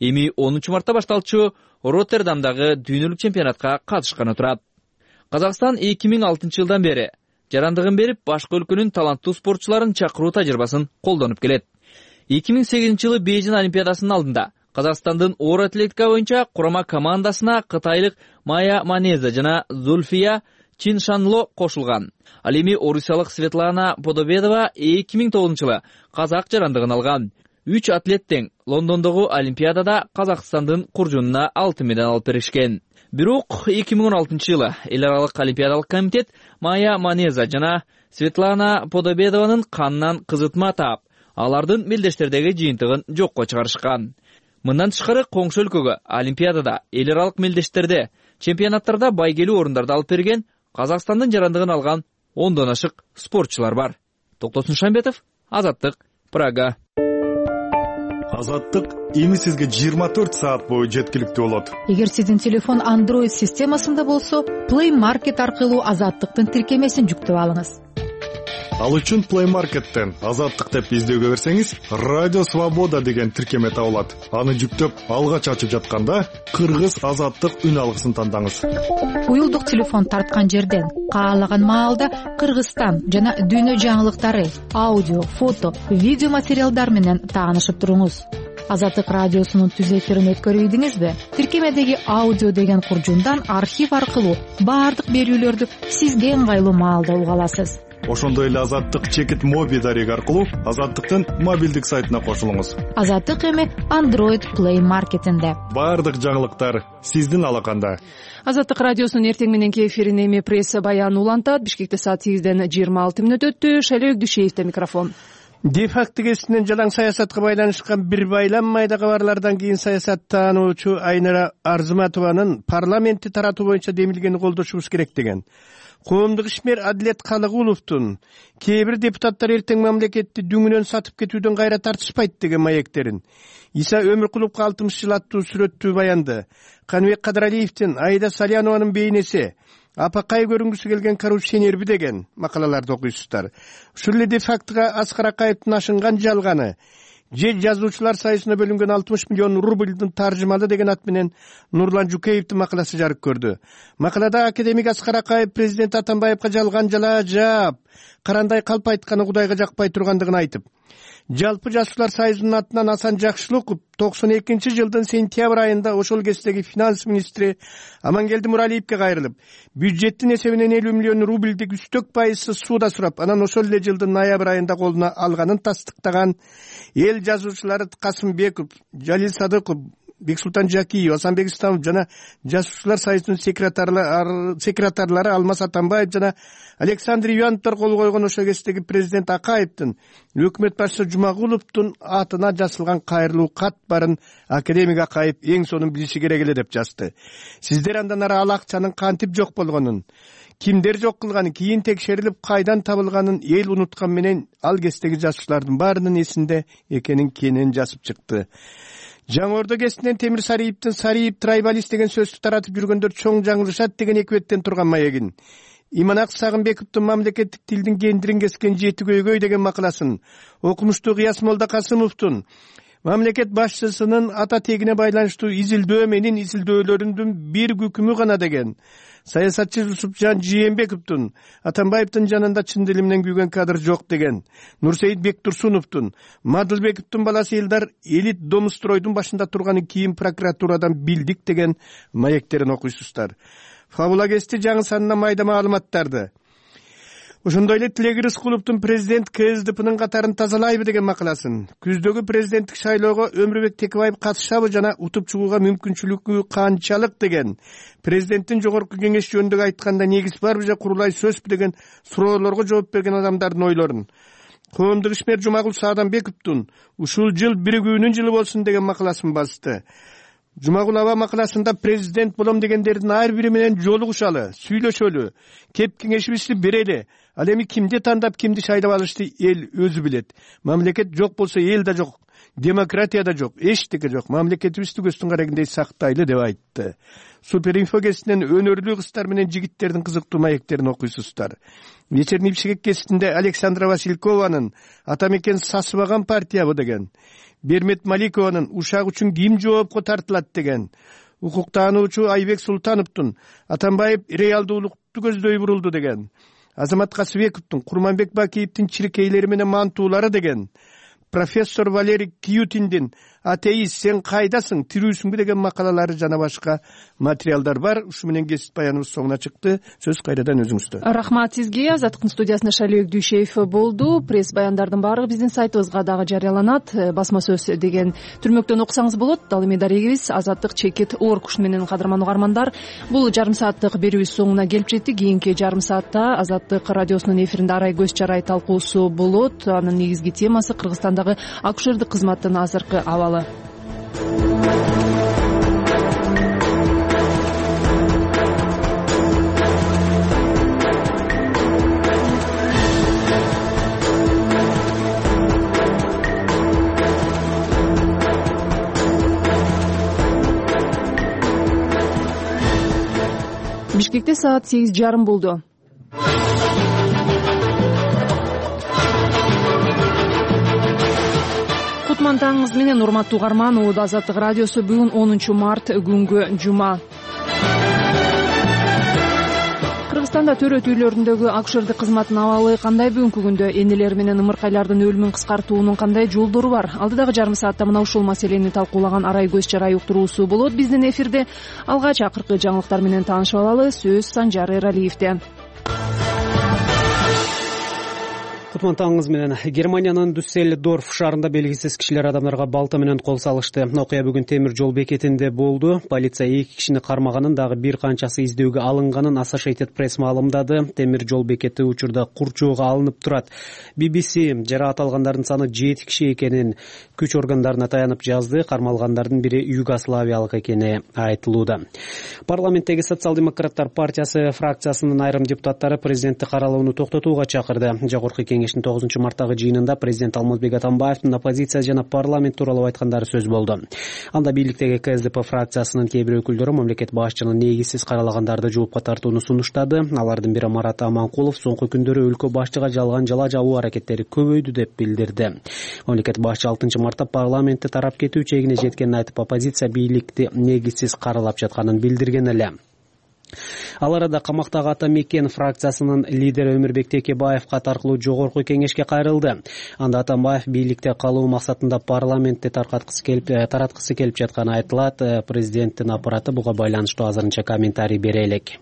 Эми онунчу мартта башталчу Роттердамдагы дүйнөлүк чемпионатка катышканы турат. Казакстан эки миң алтынчы жылдан бери жарандыгын берип, башка өлкөнүн таланттуу спортчуларын чакыруу тажрыйбасын колдонуп келет. эки миң сегизинчи жылы Бейжин Олимпиадасынын алдында Казакстандын оор атлетика боюнча курама командасына кытайлык Майя Манеза жана Зульфия Чиншанло кошулган. Ал эми орусиялык Светлана Подобедова эки миң тогузунчу жылы казак жарандыгын алган. Үч атлет тең Лондондогу Олимпиадада Казакстандын куржунуна алтын медаль алып беришкен. Бирок эки миң он алтынчы жылы эл аралык олимпиадалык комитет Майя Манеза жана Светлана Подобедованын канынан кызытма таап, алардын мелдештердеги жыйынтыгын жокко чыгарышкан. Мындан тышкары коңшу өлкөгө Олимпиадада, эл аралык мелдештерде, чемпионаттарда байгелүү орундарда алып берген, Казакстандын жарандыгын алган ондон ашык спортчулар бар. Токтосун Шамбетов, Азаттык, Прага. Азаттык эми сизге жыйырма төрт саат бою жеткиликтүү болот. Эгер сиздин телефон Android системасында болсо, Play Market аркылуу Азаттыктын тиркемесин жүктөп алыңыз. Ал үчүн Play Market'тен Азаттык деп издөөгө берсеңиз, Радио Свобода деген тиркеме табылат. Аны жүктөп, алгач ачып жатканда Кыргыз Азаттык үн алгысын тандаңыз. Уюлдук телефон тарткан жерден каалаган маалда Кыргызстан жана дүйнө жаңылыктары, аудио, фото, видео материалдар менен таанышып туруңуз. Азаттык радиосунун түз эфирин өткөрүп ийдиңизби? Тиркемедеги аудио деген куржундан архив аркылуу баардык берүүлөрдү сизге ыңгайлуу маалда уга аласыз. Ошондой эле Азаттык чекит моби дареги аркылуу Азаттыктын мобилдик сайтына кошулуңуз. Азаттык эми Android Play Market'инде. Баардык жаңылыктар сиздин алаканда. Азаттык радиосунун эртең мененки эфирин эми пресса баян улантат. Бишкекте саат сегизден жыйырма алты мүнөт өттү. Шайлоо Өкдүшеевде микрофон. Де-факто кесинен жалаң саясатка байланышкан бир байлам майда кабарлардан кийин саясаттануучу Айнара Арзыматованын парламентти таратуу боюнча демилгени колдошубуз керек деген. Коомдук ишмер Адилет Калыгуловдун кээ бир депутаттар эртең мамлекетти дүңүнөн сатып кетүүдөн кайра тартышпайт деген маектерин, Иса Өмүркуловго алтымыш жыл аттуу сүрөттүү баянды, Каныбек Кадыралиевдин Айда Салянованын бейнеси, апакай көрүнгүсү келген коррупционерби деген макалаларды окуйсуздар. Ушул эле де-фактога Аскар Акаевдин ашынган жалганы, же жазуучулар союзуна бөлүнгөн алтымыш миллион рубльдин таржымалы деген ат менен Нурлан Жукеевдин макаласы жарык көрдү. Макалада академик Аскар Акаев президент Атамбаевга жалган жала жаап, карандай калп айтканы Кудайга жакпай тургандыгын айтып, Жалпы Жазуучулар союзунун атынан Асан Жакшылыков токсон экинчи жылдын сентябрь айында ошол кездеги финанс министри Амангелди Муралиевге кайрылып, бюджеттин эсебинен элүү миллион рубльдик үстөк пайызсыз сууда сурап, анан ошол эле жылдын ноябрь айында колуна алганын тастыктаган эл жазуучулары Касымбеков, Жалил Садыков, Бексултан Жакиев, Асанбек Исламов жана Жазуучулар союзунун секретарлары Алмаз Атамбаев жана Александр Ивановдор кол койгон ошол кездеги президент Акаевдин өкмөт башчысы Жумагуловдун атына жазылган кайрылуу кат барын академик Акаев эң сонун билиши керек эле деп жазды. Сиздер андан ары ал акчанын кантип жок болгонун, кимдер жок кылганын, кийин текшерилип кайдан табылганын эл унуткан менен ал кездеги жазуучулардын баарынын эсинде экенин кенен жазып чыкты. Жаңы Ордо кесинен Темир Сариевдин Сариев трайбалист деген сөздү таратып жүргөндөр чоң жаңылышат деген эки беттен турган маегин, Иманак Сагынбековдун мамлекеттик тилдин кендирин кескен жети көйгөй деген макаласын, окумуштуу Кыяс Молдокасымовдун мамлекет башчысынын ата тегине байланыштуу изилдөө менин изилдөөлөрүнүн бир күкүмү гана деген, саясатчы Жусупжан Жээнбековдун Атамбаевдин жанында чын дили менен күйгөн кадр жок деген, Нурсейит Бектурсуновдун Мадылбековдун баласы Элдар Элит Домустройдун башында турганын кийин прокуратурадан билдик деген маектерин окуйсуздар. Фабула кести жаңы санына майда маалыматтарды. Ошондой эле Тилек Рыскуловдун президент КСДПнын катарын тазалайбы деген макаласын, күздөгү президенттик шайлоого Өмүрбек Текебаев катышабы жана утуп чыгууга мүмкүнчүлүгү канчалык деген, президенттин жогорку кеңеш жөнүндө айтканда негиз барбы же курулай сөзбү деген суроолорго жооп берген адамдардын ойлорун. Коомдук ишмер Жумагул Саадамбековдун ушул жыл биригүүнүн жылы болсун деген макаласын басты. Жумагул аба макаласында президент болом дегендердин ар бири менен жолугушалы, сүйлөшөлү, кеп кеңешибизди берели. Ал эми кимди тандап, кимди шайлап алышты эл өзү билет. Мамлекет жок болсо эл да жок, демократия да жок, эчтеке жок. Мамлекетибизди көздүн карагындай сактайлы деп айтты. Суперинфо кесинен өнөрлүү кыздар менен жигиттердин кызыктуу маектерин окуйсуздар. Вечерний Бишкек кесинде Александра Василькованын Атамекен сасыбаган партиябы деген, Бермет Маликованын ушак үчүн ким жоопко тартылат деген, укуктануучу Айбек Султановдун Атамбаев реалдуулукту көздөй бурулду деген, Азамат Касыбековдун Курманбек Бакиевдин чиркейлери менен мантуулары деген, профессор Валерий Кьютиндин атеист сен кайдасың, тирүүсүңбү деген макалалары жана башка материалдар бар. Ушу менен кесип баяныбыз соңуна чыкты. Сөз кайрадан өзүңүздө. Рахмат сизге. Азаттыктын студиясында Шайлоо Өкдүшеев болду. Пресс баяндардын баары биздин сайтыбызга дагы жарыяланат. Басма сөз деген түрмөктөн окусаңыз болот. Ал эми дарегибиз азаттык чекит орг. Ушу менен кадырман угармандар, бул жарым сааттык берүүбүз соңуна келип жетти. Кийинки жарым саатта Азаттык радиосунун эфиринде арай көз чарай талкуусу болот. Анын негизги темасы Кыргызстандагы акушердик кызматтын азыркы абалы. Бишкекте саат сегиз жарым болду. Кутман таңыңыз менен, урматтуу угарман. Убада Азаттык радиосу. Бүгүн онунчу март күнгү жума. Кыргызстанда төрөт үйлөрүндөгү акушердик кызматтын абалы кандай? Бүгүнкү күндө энелер менен ымыркайлардын өлүмүн кыскартуунун кандай жолдору бар? Алдыдагы жарым саатта мына ушул маселени талкуулаган арай көз чарай уктуруусу болот. Биздин эфирде алгач акыркы жаңылыктар менен таанышып алалы. Сөз Санжар Эралиевде. Кутман таңыңыз менен. Германиянын Дюссельдорф шаарында белгисиз кишилер адамдарга балта менен кол салышты. Окуя бүгүн темир жол бекетинде болду. Полиция эки кишини кармаганын, дагы бир канчасы издөөгө алынганын Associated Press маалымдады. Темир жол бекети учурда курчоого алынып турат. би би си жараат алгандардын саны жети киши экенин күч органдарына таянып жазды. Кармалгандардын бири югославиялык экени айтылууда. Парламенттеги Социал-демократтар партиясы фракциясынын айрым депутаттары президентти каралууну токтотууга чакырды. Жогорку кеңештин тогузунчу марттагы жыйынында президент Алмазбек Атамбаевдин оппозиция жана парламент тууралуу айткандары сөз болду. Анда бийликтеги ка эс дэ пэ фракциясынын кээ бир өкүлдөрү мамлекет башчынын негизсиз каралагандарды жоопко тартууну сунуштады. Алардын бири Марат Аманкулов соңку күндөрү өлкө башчыга жалган жала жабуу аракеттери көбөйдү деп билдирди. Мамлекет башчы алтынчы мартта парламентти тарап кетүү чегине жеткенин айтып, оппозиция бийликти негизсиз каралап жатканын билдирген эле. Ал арада камактагы Ата Мекен фракциясынын лидери Өмүрбек Текебаев кат аркылуу жогорку кеңешке кайрылды. Анда Атамбаев бийликте калуу максатында парламентти таркаткысы келип, тараткысы келип жатканы айтылат. Президенттин аппараты буга байланыштуу азырынча комментарий бере элек.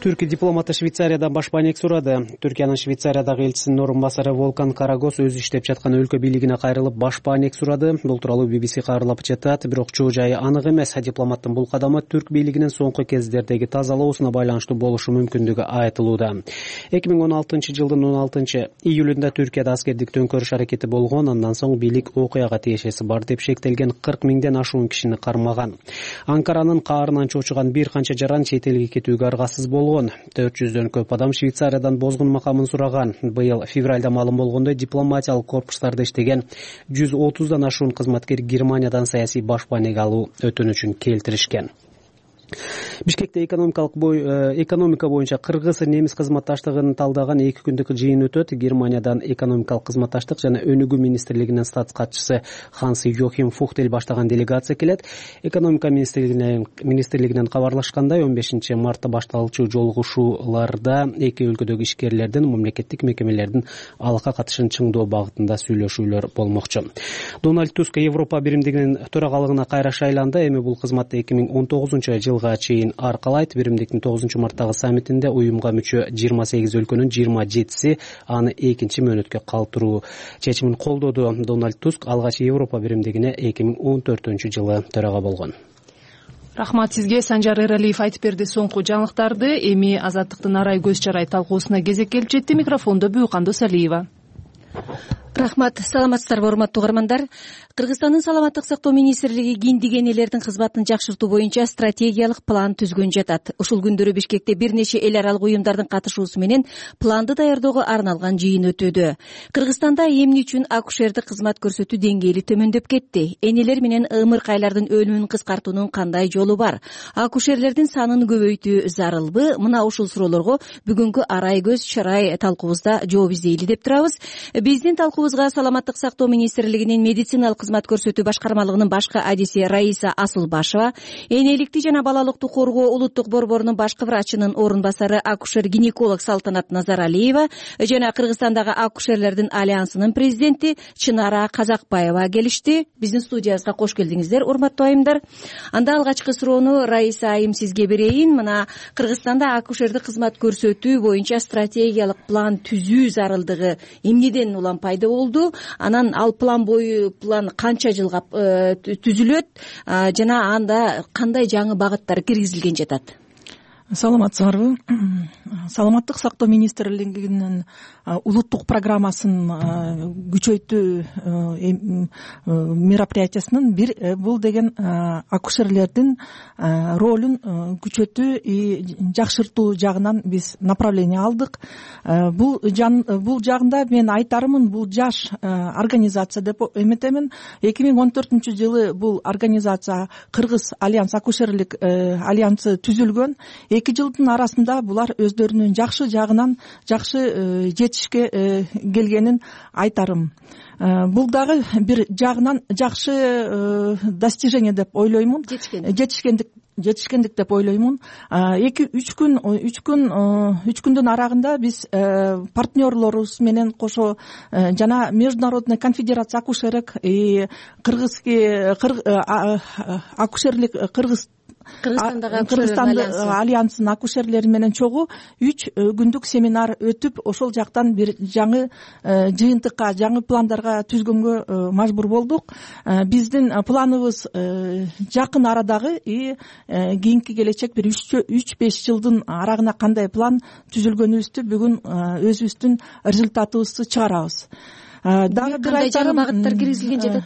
Түркия дипломаты Швейцарияда баш банек сурады. Түркиянын Швейцариядагы элчисинин орун басары Волкан Карагос өзү иштеп жаткан өлкө бийлигине кайрылып баш банек сурады. Бул тууралуу би би си кабарлап жатат. Бирок чоо жайы анык эмес. Дипломаттын бул кадамы түрк бийлигинин соңку кездердеги тазалоосуна байланыштуу болушу мүмкүндүгү айтылууда. эки миң он алтынчы жылдын он алтынчы июлунда Түркияда аскердик төңкөрүш аракети болгон. Андан соң бийлик окуяга тиешеси бар деп шектелген кырк миңден ашуун кишини кармаган. Анкаранын каарынан чочуган бир канча жаран чет элге кетүүгө аргасыз болгон. төрт жүздөн көп адам Швейцариядан бозгун макамын сураган. Быйыл февралда маалым болгондой дипломатиялык корпустарда иштеген жүз отуздан ашуун кызматкер Германиядан саясий баш банек алуу өтүнүчүн келтиришкен. Бишкекте экономикалык бой, экономика боюнча кыргыз немис кызматташтыгын талдаган эки күндүк жыйын өтөт. Германиядан экономикалык кызматташтык жана өнүгүү министрлигинин статс катчысы Ханс Йохим Фухтель баштаган делегация келет. Экономика министрлигинен министрлигинен кабарлашкандай, он бешинчи мартта башталчу жолугушууларда эки өлкөдөгү ишкерлердин, мамлекеттик мекемелердин алакка катышын чыңдоо багытында сүйлөшүүлөр болмокчу. Дональд Туск Европа биримдигинин төрагалыгына кайра шайланды. Эми бул кызматты эки миң он тогузунчу жылга чейин аркалайт. Биримдиктин тогузунчу марттагы саммитинде уюмга мүчө жыйырма сегиз өлкөнүн жыйырма жетиси аны экинчи мөөнөткө калтыруу чечимин колдоду. Дональд Туск алгач Европа биримдигине эки миң он төртүнчү жылы төрага болгон. Рахмат сизге. Санжар Эралиев айтып берди соңку жаңылыктарды. Эми Азаттыктын арай көз чарай талкуусуна кезек келип жетти. Микрофондо Бүйкандуу Салиева. Рахмат. Саламатсыздарбы, урматтуу угармандар. Кыргызстандын саламаттык сактоо министрлиги киндик энелердин кызматын жакшыртуу боюнча стратегиялык план түзгөн жатат. Ушул күндөрү Бишкекте бир нече эл аралык уюмдардын катышуусу менен планды даярдөөгө арналган жыйын өтүүдө. Кыргызстанда эмне үчүн акушердик кызмат көрсөтүү деңгээли төмөндөп кетти? Энелер менен ымыркайлардын өлүмүн кыскартуунун кандай жолу бар? Акушерлердин санын көбөйтүү зарылбы? Мына ушул суроолорго бүгүнкү арай көз чарай талкуубузда жооп издейли деп турабыз. Биздин талкуубузга саламаттык сактоо министрлигинин медициналык кызмат көрсөтүү башкармалыгынын башкы адиси Раиса Асылбашева, энеликти жана балалыкты коргоо улуттук борборунун башкы врачынын орун басары акушер-гинеколог Салтанат Назаралиева жана Кыргызстандагы акушерлердин альянсынын президенти Чынара Казакбаева келишти. Биздин студиябызга кош келдиңиздер, урматтуу айымдар. Анда алгачкы суроону Раиса айым сизге берейин. Мына Кыргызстанда акушердик кызмат көрсөтүү боюнча стратегиялык план түзүү зарылдыгы эмнеден улам пайда болду? Анан ал план бою план канча жылга түзүлөт жана анда кандай жаңы багыттар киргизилген жатат? саламатсыңарбы? Саламаттык сактоо министрлигинин улуттук программасын күчөйтүү мероприятиясынын бир бул деген акушерлердин ролун күчөтүү и жакшыртуу жагынан биз направление алдык. Бул бул жагында мен айтарымын, бул жаш организация деп эметемин. эки миң он төртүнчү жылы бул организация Кыргыз альянс акушерлик альянсы түзүлгөн. Эки жылдын арасында булар өздөрүнүн жакшы жагынан жакшы жетишке келгенин айтарым. Бул дагы бир жагынан жакшы достижение деп ойлоймун. Жетишкендик жетишкендик деп ойлоймун. эки үч күн үч күн үч күндүн арагында биз партнерлорубуз менен кошо жана Международная конфедерация акушерок и кыргызский акушерлик кыргыз Кыргызстандагы альянсынын акушерлери менен чогуу үч күндүк семинар өтүп, ошол жактан бир жаңы жыйынтыкка, жаңы пландарга түзгөнгө мажбур болдук. Биздин планыбыз жакын арадагы и кийинки келечек бир үч беш жылдын арагына кандай план түзүлгөнүбүздү бүгүн өзүбүздүн результатыбызды чыгарабыз. Дагы бир айтарым, багыттар киргизилген жатат.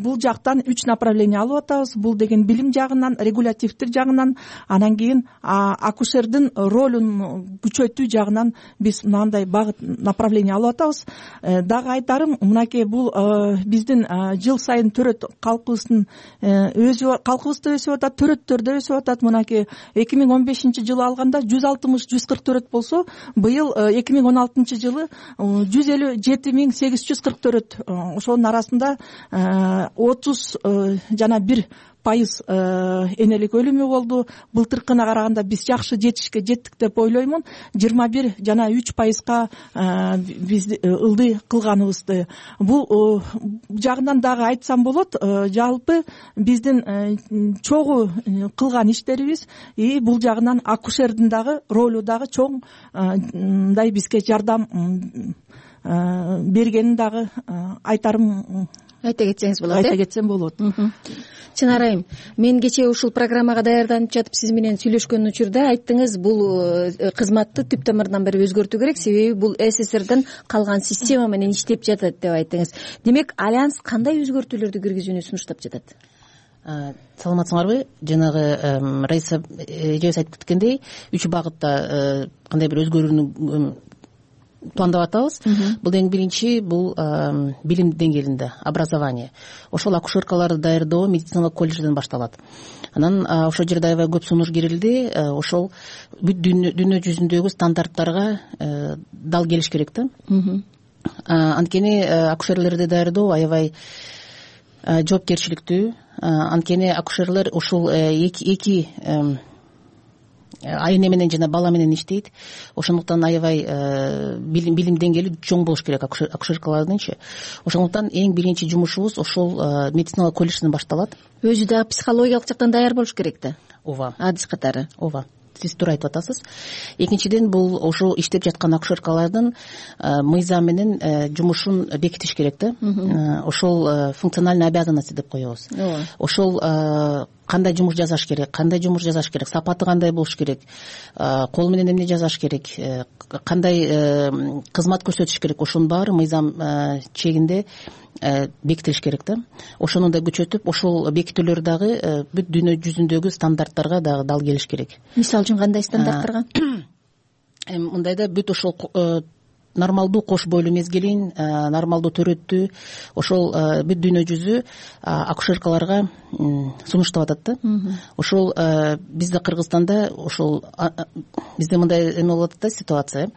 Бул жактан үч направление алып атабыз. Бул деген билим жагынан, регулятивдик жагынан, анан кийин акушердин ролун күчөтүү жагынан биз мынандай багыт направление алып атабыз. Дагы айтарым, мынакей бул биздин жыл сайын төрөт калкыбыздын өзү калкыбыз да өсүп атат, төрөттөр да өсүп атат. Мынакей эки миң он бешинчи жылы алганда жүз алтымыш жүз кырк төрөт болсо, быйыл эки миң он алтынчы жылы жүз элүү жети миң сегиз жүз кырк төрөт. Ошонун арасында отуз жана бир пайыз энелик өлүмү болду. Былтыркына караганда биз жакшы жетишке жеттик деп ойлоймун. жыйырма бир жана үч пайызга биз ылдый кылганыбызды. Бул жагынан дагы айтсам болот. Жалпы биздин чогуу кылган иштерибиз и бул жагынан акушердин дагы ролу дагы чоң мындай бизге жардам бергенин дагы айтарым. Айта кетсеңиз болот. Айта кетсем болот. Чынар айым, мен кечээ ушул программага даярданып жатып сиз менен сүйлөшкөн учурда айттыңыз, бул кызматты түп тамырынан бери өзгөртүү керек, себеби бул СССРден калган система менен иштеп жатат деп айттыңыз. Демек, альянс кандай өзгөртүүлөрдү киргизүүнү сунуштап жатат? Саламатсыңарбы? Жанагы Раиса эжебиз айтып кеткендей, үч багытта кандай бир өзгөрүүнү пландап атабыз. Бул эң биринчи бул билим деңгээлинде, образование. Ошол акушеркаларды даярдоо медициналык колледжден башталат. Анан ошол жерде аябай көп сунуш кирилди. Ошол бүт дүйнө жүзүндөгү стандарттарга дал келиш керек да. Анткени акушерлерди даярдоо аябай жоопкерчиликтүү. Анткени акушерлер ушул эки эне менен жана бала менен иштейт. Ошондуктан аябай билим деңгээли чоң болуш керек акушеркалардынчы. Ошондуктан эң биринчи жумушубуз ошол медициналык колледжден башталат. Өзү да психологиялык жактан даяр болуш керек да. Ооба. Адис катары. Ооба. Сиз туура айтып атасыз. Экинчиден, бул ошол иштеп жаткан акушеркалардын мыйзам менен жумушун бекитиш керек да. Ошол функциональный обязанности деп коебуз. Ошол кандай жумуш жасаш керек, кандай жумуш жасаш керек, сапаты кандай болуш керек, кол менен эмне жасаш керек, кандай кызмат көрсөтүш керек, ошонун баары мыйзам чегинде бекитилиш керек да. Ошону да күчөтүп, ошол бекитүүлөр дагы бүт дүйнө жүзүндөгү стандарттарга дагы дал келиш керек. Мисалы үчүн кандай стандарттарга? Мындайда бүт ошол нормалдуу кош бойлуу мезгилин, нормалдуу төрөттү ошол бүт дүйнө жүзү акушеркаларга сунуштап атат да. Ошол бизде Кыргызстанда ошол бизде мындай эме болуп атат да ситуация.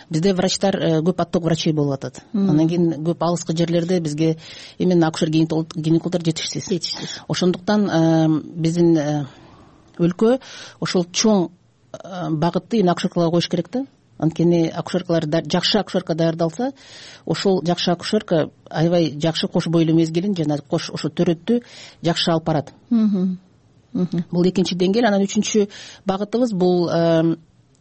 Бизде врачтар көп отток врачей болуп атат. Анан кийин көп алыскы жерлерде бизге именно акушер гинекологдор жетишсиз. Ошондуктан биздин өлкө ошол чоң багытты именно акушеркаларга коюш керек да. Анткени акушеркалар жакшы акушерка даярдалса, ошол жакшы акушерка аябай жакшы кош бойлуу мезгилин жана кош ошо төрөттү жакшы алып барат. Бул экинчи деңгээл. Анан үчүнчү багытыбыз бул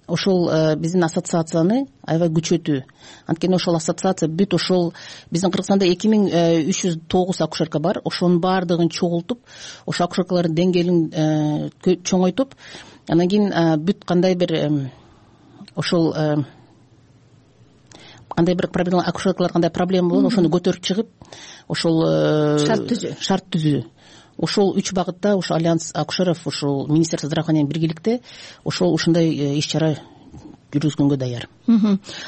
ошол биздин ассоциацияны аябай күчөтүү. Анткени ошол ассоциация бүт ошол биздин Кыргызстанда эки миң үч жүз тогуз акушерка бар. Ошонун баардыгын чогултуп, ошо акушеркалардын деңгээлин чоңойтуп, анан кийин бүт кандай бир ошол кандай бир проблема, акушеркалар кандай проблема болот, ошону көтөрүп чыгып ошол шарт түзүү шарт түзүү ошол үч багытта ошо альянс акушеров ушул министерство здравоохранения биргеликте ошол ушундай иш чара жүргүзгөнгө даяр.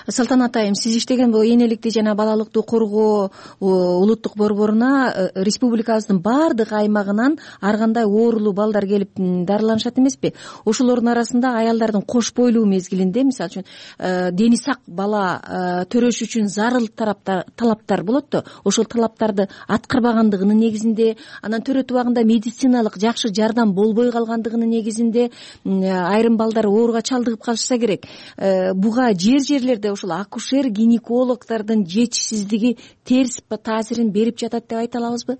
Салтанат айым, сиз иштеген бул энеликти жана балалыкты коргоо улуттук борборуна республикабыздын баардык аймагынан ар кандай оорулуу балдар келип дарыланышат эмеспи? Ошолордун арасында аялдардын кош бойлуу мезгилинде, мисалы үчүн дени сак бала төрөш үчүн зарыл талаптар болот да, ошол талаптарды аткарбагандыгынын негизинде, анан төрөтүү убагында медициналык жакшы жардам болбой калгандыгынын негизинде айрым балдар ооруга чалдыгып калышса керек. Буга жер жерлерде ошол акушер гинекологдордун жетишсиздиги терс таасирин берип жатат деп айта алабызбы?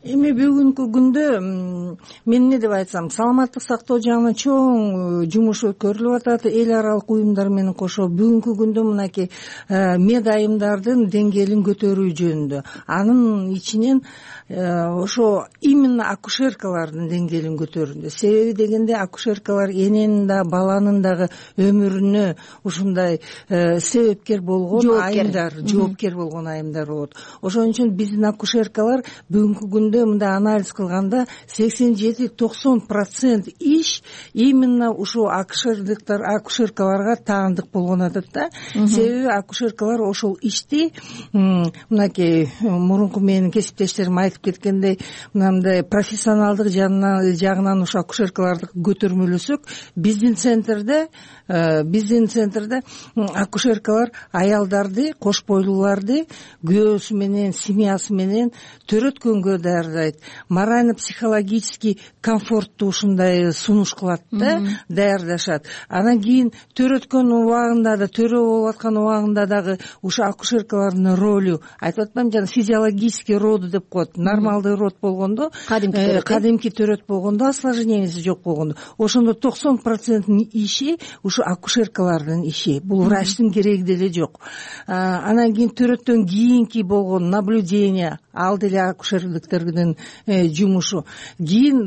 Эми бүгүнкү күндө мен эмне деп айтсам, саламаттык сактоо жагынан чоң жумуш өткөрүлүп атат эл аралык уюмдар менен кошо. Бүгүнкү күндө мынакей мед айымдардын деңгээлин көтөрүү жөнүндө, анын ичинен ошо именно акушеркалардын деңгээлин көтөрүүндө. Себеби дегенде акушеркалар эненин да баланын дагы өмүрүнө ушундай себепкер болгон айымдар, жоопкер болгон айымдар болот. Ошон үчүн биздин акушеркалар бүгүнкү күндө мындай анализ кылганда сексен жети токсон процент иш именно ушул акушерликтер акушеркаларга таандык болгон атат да. Себеби акушеркалар ошол ишти мынакей мурунку менин кесиптештерим айтып кеткендей, мындай профессионалдык жагынан ушу акушеркаларды көтөрмөлөсөк, биздин центрде биздин центрде акушеркалар аялдарды, кош бойлууларды күйөөсү менен, семьясы менен төрөткөнгө даярдайт, морально-психологический комфортту ушундай сунуш кылат да, даярдашат. Анан кийин төрөткөн убагында да, төрө болуп аткан убагында дагы ушу акушеркалардын ролу, айтып атпаймынбы, жана физиологический роды деп коет, нормалдуу род болгондо, кадимки төрөт болгондо, осложненияси жок болгондо, ошондо токсон проценттин иши ушу акушеркалардын иши. Бул врачтын кереги деле жок. Анан кийин төрөттөн кийинки болгон наблюдение, ал деле акушерликтердин жумушу. Кийин,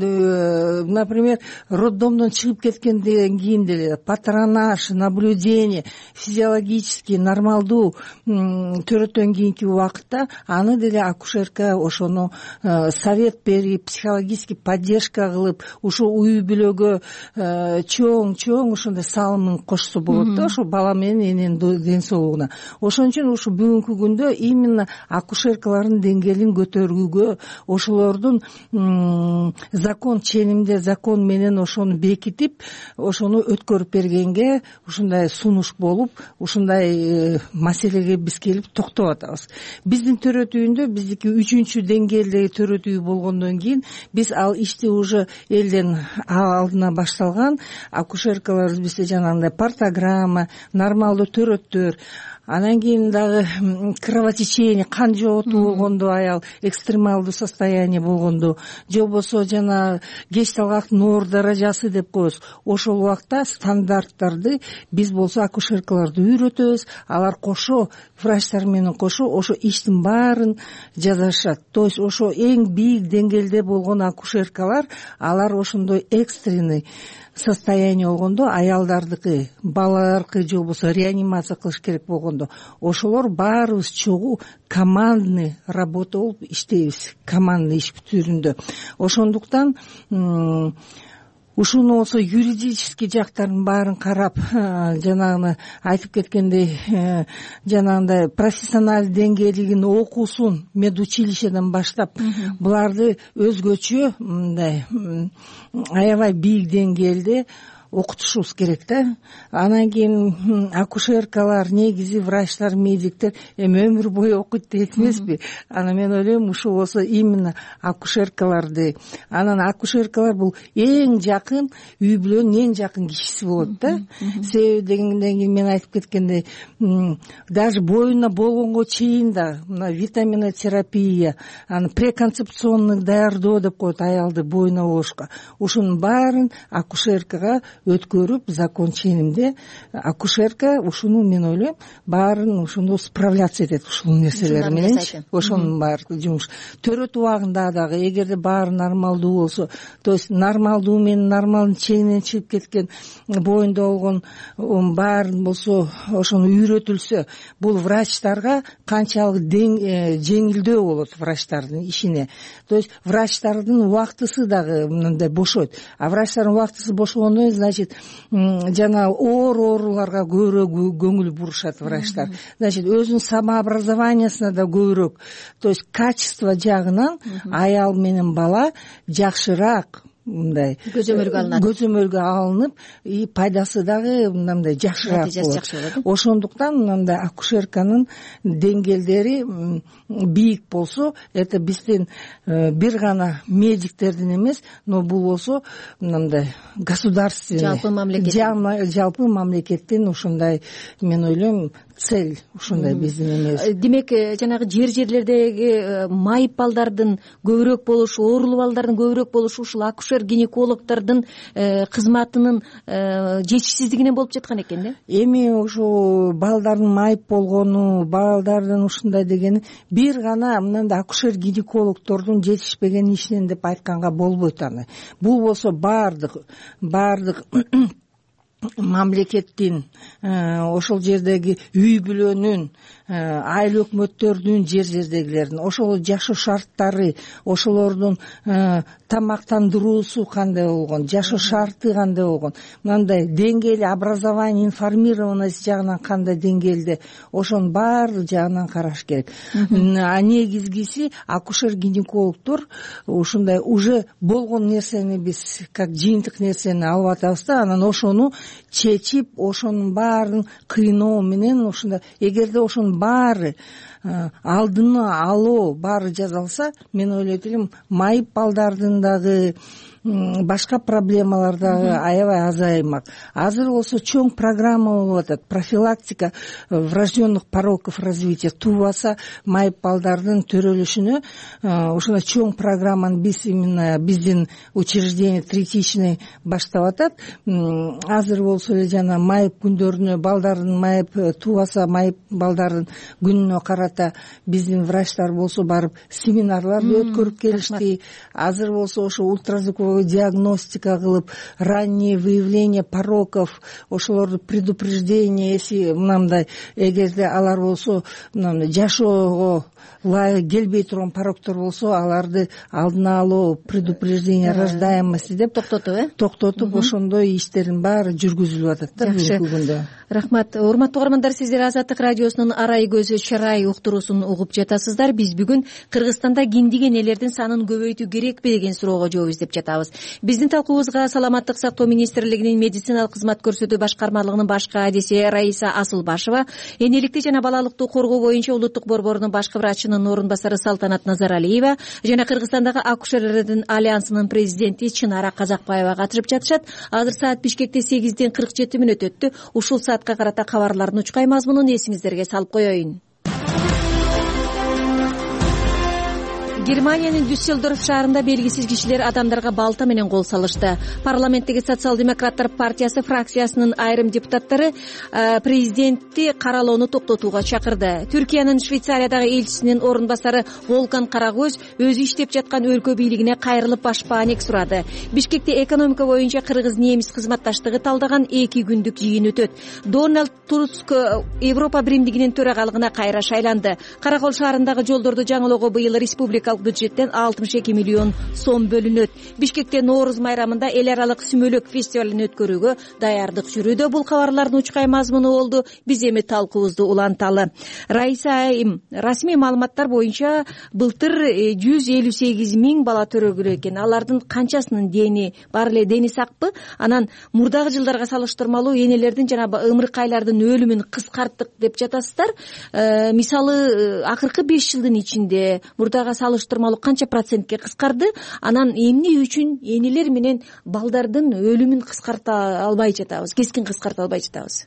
например, роддомдон чыгып кеткенден кийин деле патронаж, наблюдение, физиологический нормалдуу төрөттөн кийинки убакытта аны деле акушерка ошону совет берип, психологический поддержка кылып, ушу үй бүлөгө чоң-чоң ошондой салымын кошсо болот да, ошо бала менен эненин ден соолугуна. Ошон үчүн ушу бүгүнкү күндө именно акушеркалардын деңгээлин көтөрүүгө, ошолордун закон ченимде, закон менен ошону бекитип, ошону өткөрүп бергенге ушундай сунуш болуп, ушундай маселеге биз келип токтоп атабыз. Биздин төрөтүүндө биздики үчүнчү деңгээлдеги төрөтүү болгондон кийин биз ал ишти уже элден алдына башталган, акушеркалар бизде жанагындай портограмма, нормалдуу төрөттөр, анан кийин дагы кровотечение, кан жоготуу болгондо, аял экстремалдуу состояние болгондо, же болбосо жана кеч талгактын оор даражасы деп коебуз, ошол убакта стандарттарды биз болсо акушеркаларды үйрөтөбүз, алар кошо врачтар менен кошо ошо иштин баарын жазышат. То есть ошо эң бийик деңгээлде болгон акушеркалар, алар ошондой экстренный состояние болгондо, аялдардыкы, балалардыкы же болбосо реанимация кылыш керек болгондо, ошолор баарыбыз чогуу командный работа болуп иштейбиз, командный иш түрүндө. Ошондуктан ушуну болсо юридический жактарын баарын карап, жанагы айтып кеткендей, жанагындай профессионалдык деңгээлигин окуусун медучилищеден баштап, буларды өзгөчө мындай аябай бийик деңгээлде окутушубуз керек да. Анан кийин акушеркалар, негизи врачтар, медиктер эми өмүр бою окуйт дейт эмеспи? Анан мен ойлойм, ушул болсо именно акушеркаларды, анан акушеркалар бул эң жакын үй бүлөнүн эң жакын кишиси болот да. Себеби дегенден кийин мен айтып кеткендей, даже боюна болгонго чейин да мына витаминотерапия, аны преконцепционный даярдоо деп коет аялды боюна болгошко. Ушунун баарын акушеркага өткөрүп закон ченинде акушерка ушуну мен ойлойм баарын ушуну справляться этет ушул нерселер мененчи ошонун баары жумуш төрөт убагында дагы эгерде баары нормалдуу болсо то есть нормалдуу менен нормалдын чегинен чыгып кеткен боюнда болгон баарын болсо ошону үйрөтүлсө бул врачтарга канчалык жеңилдөө болот врачтардын ишине то есть врачтардын убактысы дагы мындай бошойт а врачтардын убактысы бошогондон кийин значит жана оор ооруларга көбүрөөк көңүл бурушат врачтар значит өзүнүн самообразованиясына да көбүрөөк то есть качество жагынан аял менен бала жакшыраак мындай көзөмөлгө алынат көзөмөлгө алынып и пайдасы дагы мындай жакшыраак болот ошондуктан мындай акушерканын деңгээлдери бийик болсо это биздин бир гана медиктердин эмес но бул болсо мындай государственный жалпы мамлекет жалпы мамлекеттин ушундай мен ойлойм цель ушундай биздин эмес демек жанагы жер жерлердеги майып балдардын көбүрөөк болушу оорулуу балдардын көбүрөөк болушу ушул акушер гинекологдордун кызматынын жетишсиздигинен болуп жаткан экен да эми ушу балдардын майып болгону балдардын ушундай дегени бир гана мындай акушер гинекологдордун жетишпеген ишинен деп айтканга болбойт аны бул болсо баардык баардык мамлекеттин ошол жердеги үй бүлөнүн айыл өкмөттөрдүн жер жердегилердин ошол жашоо шарттары ошолордун тамактандыруусу кандай болгон жашоо шарты кандай болгон мындай деңгээли образование информированность жагынан кандай деңгээлде ошонун баардык жагынан караш керек а негизгиси акушер гинекологдор ушундай уже болгон нерсени биз как жыйынтык нерсени алып атабыз да анан ошону чечип ошонун баарын кыйноо менен ушундай эгерде ошонун баары алдыны алуу баары жасалса мен ойлойт элем майып балдардын дагы башка проблемалар дагы аябай азаймак азыр болсо чоң программа болуп атат профилактика врожденных пороков развития туубаса майып балдардын төрөлүшүнө ушундай чоң программаны биз именно биздин учреждение третичный баштап атат азыр болсо эле жана майып күндөрүнө балдардын майып туубаса майып балдардын күнүнө карата биздин врачтар болсо барып семинарларды өткөрүп келишти азыр болсо ошо ультразвуковой диагностика кылып раннее выявление пороков ошолорду предупреждение если мындай эгерде алар болсо мындай жашоого ылайык келбей турган пороктор болсо аларды алдын алуу предупреждение рождаемости деп токтотуп э токтотуп ошондой иштердин баары жүргүзүлүп атат да бүгүнкү күндө рахмат урматтуу угармандар сиздер азаттык радиосунун арай көзү чарай уктуруусун угуп жатасыздар биз бүгүн Кыргызстанда киндик энелердин санын көбөйтүү керекпи деген суроого жооп издеп жатабыз биздин талкуубузга саламаттык сактоо министрлигинин медициналык кызмат көрсөтүү башкармалыгынын баш кадиси Раиса Асылбашева энеликти жана балалыкты коргоо боюнча улуттук борборунун башкы врачынын орун басары Салтанат Назаралиева жана Кыргызстандагы акушерлердин альянсынын президенти Чынара Казакбаева катышып жатышат азыр саат Бишкекте сегизден кырк жети мүнөт өттү ушул саатка карата кабарлардын учкай мазмунун эсиңиздерге салып коеюн. Германиянын Дюссельдорф шаарында белгисиз кишилер адамдарга балта менен кол салышты. Парламенттеги социал-демократтар партиясы фракциясынын айрым депутаттары президентти каралоону токтотууга чакырды. Түркиянын Швейцариядагы элчисинин орун басары Волкан Карагөз өзү иштеп жаткан өлкө бийлигине кайрылып башпаанек сурады. Бишкекте экономика боюнча кыргыз-немис кызматташтыгы талдаган эки күндүк жыйын өтөт. Дональд Туск Европа биримдигинин төрагалыгына кайра шайланды. Каракол шаарындагы жолдорду жаңылоого быйыл республика бюджеттен алтымыш эки миллион сом бөлүнөт. Бишкекте Нооруз майрамында эл аралык сүмөлөк фестивалын өткөрүүгө даярдык жүрүүдө. Бул кабарлардын учкай мазмуну болду. Биз эми талкуубузду уланталы. Раиса айым расмий маалыматтар боюнча былтыр жүз элүү сегиз миң бала төрөгүлө экен. Алардын канчасынын дени бар эле дени сакпы? Анан мурдагы жылдарга салыштырмалуу энелердин жана ымыркайлардын өлүмүн кыскарттык деп жатасыздар. Э, мисалы акыркы беш жылдын ичинде мурдага салыштырмалуу канча процентке кыскарды? Анан эмне үчүн энелер менен балдардын өлүмүн кыскарта албай жатабыз, кескин кыскарта албай жатабыз?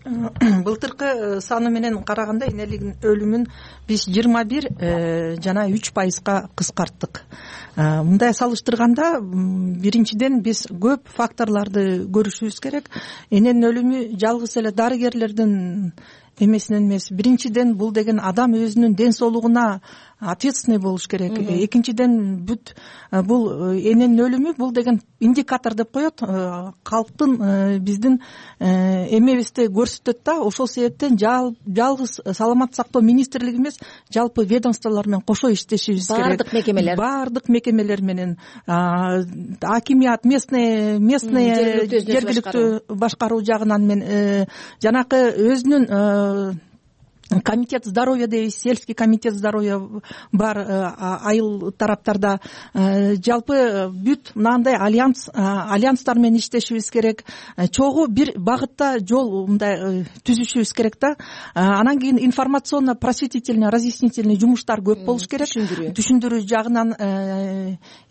былтыркы саны менен караганда энеликтин өлүмүн биз жыйырма бир жана үч пайызга кыскарттык. Мындай салыштырганда биринчиден биз көп факторлорду көрүшүбүз керек. Эненин өлүмү жалгыз эле дарыгерлердин эмесинен эмес. Биринчиден бул деген адам өзүнүн ден соолугуна ответственный болуш керек. Экинчиден бүт бул эненин өлүмү бул деген индикатор деп коет, калктын биздин эмебизди көрсөтөт да. Ошол себептен жалгыз саламаттык сактоо министрлиги эмес, жалпы ведомстволор менен кошо иштешибиз керек. Баардык мекемелер баардык мекемелер менен акимият, местный местный жергиликтүү башкаруу жагынан мен жанакы өзүнүн комитет здоровья дейбиз, сельский комитет здоровья бар айыл тараптарда. Жалпы бүт мынандай альянс альянстар менен иштешибиз керек. Чогуу бир багытта жол мындай түзүшүбүз керек да. Анан кийин информационно просветительный разъяснительный жумуштар көп болуш керек. Түшүндүрүү жагынан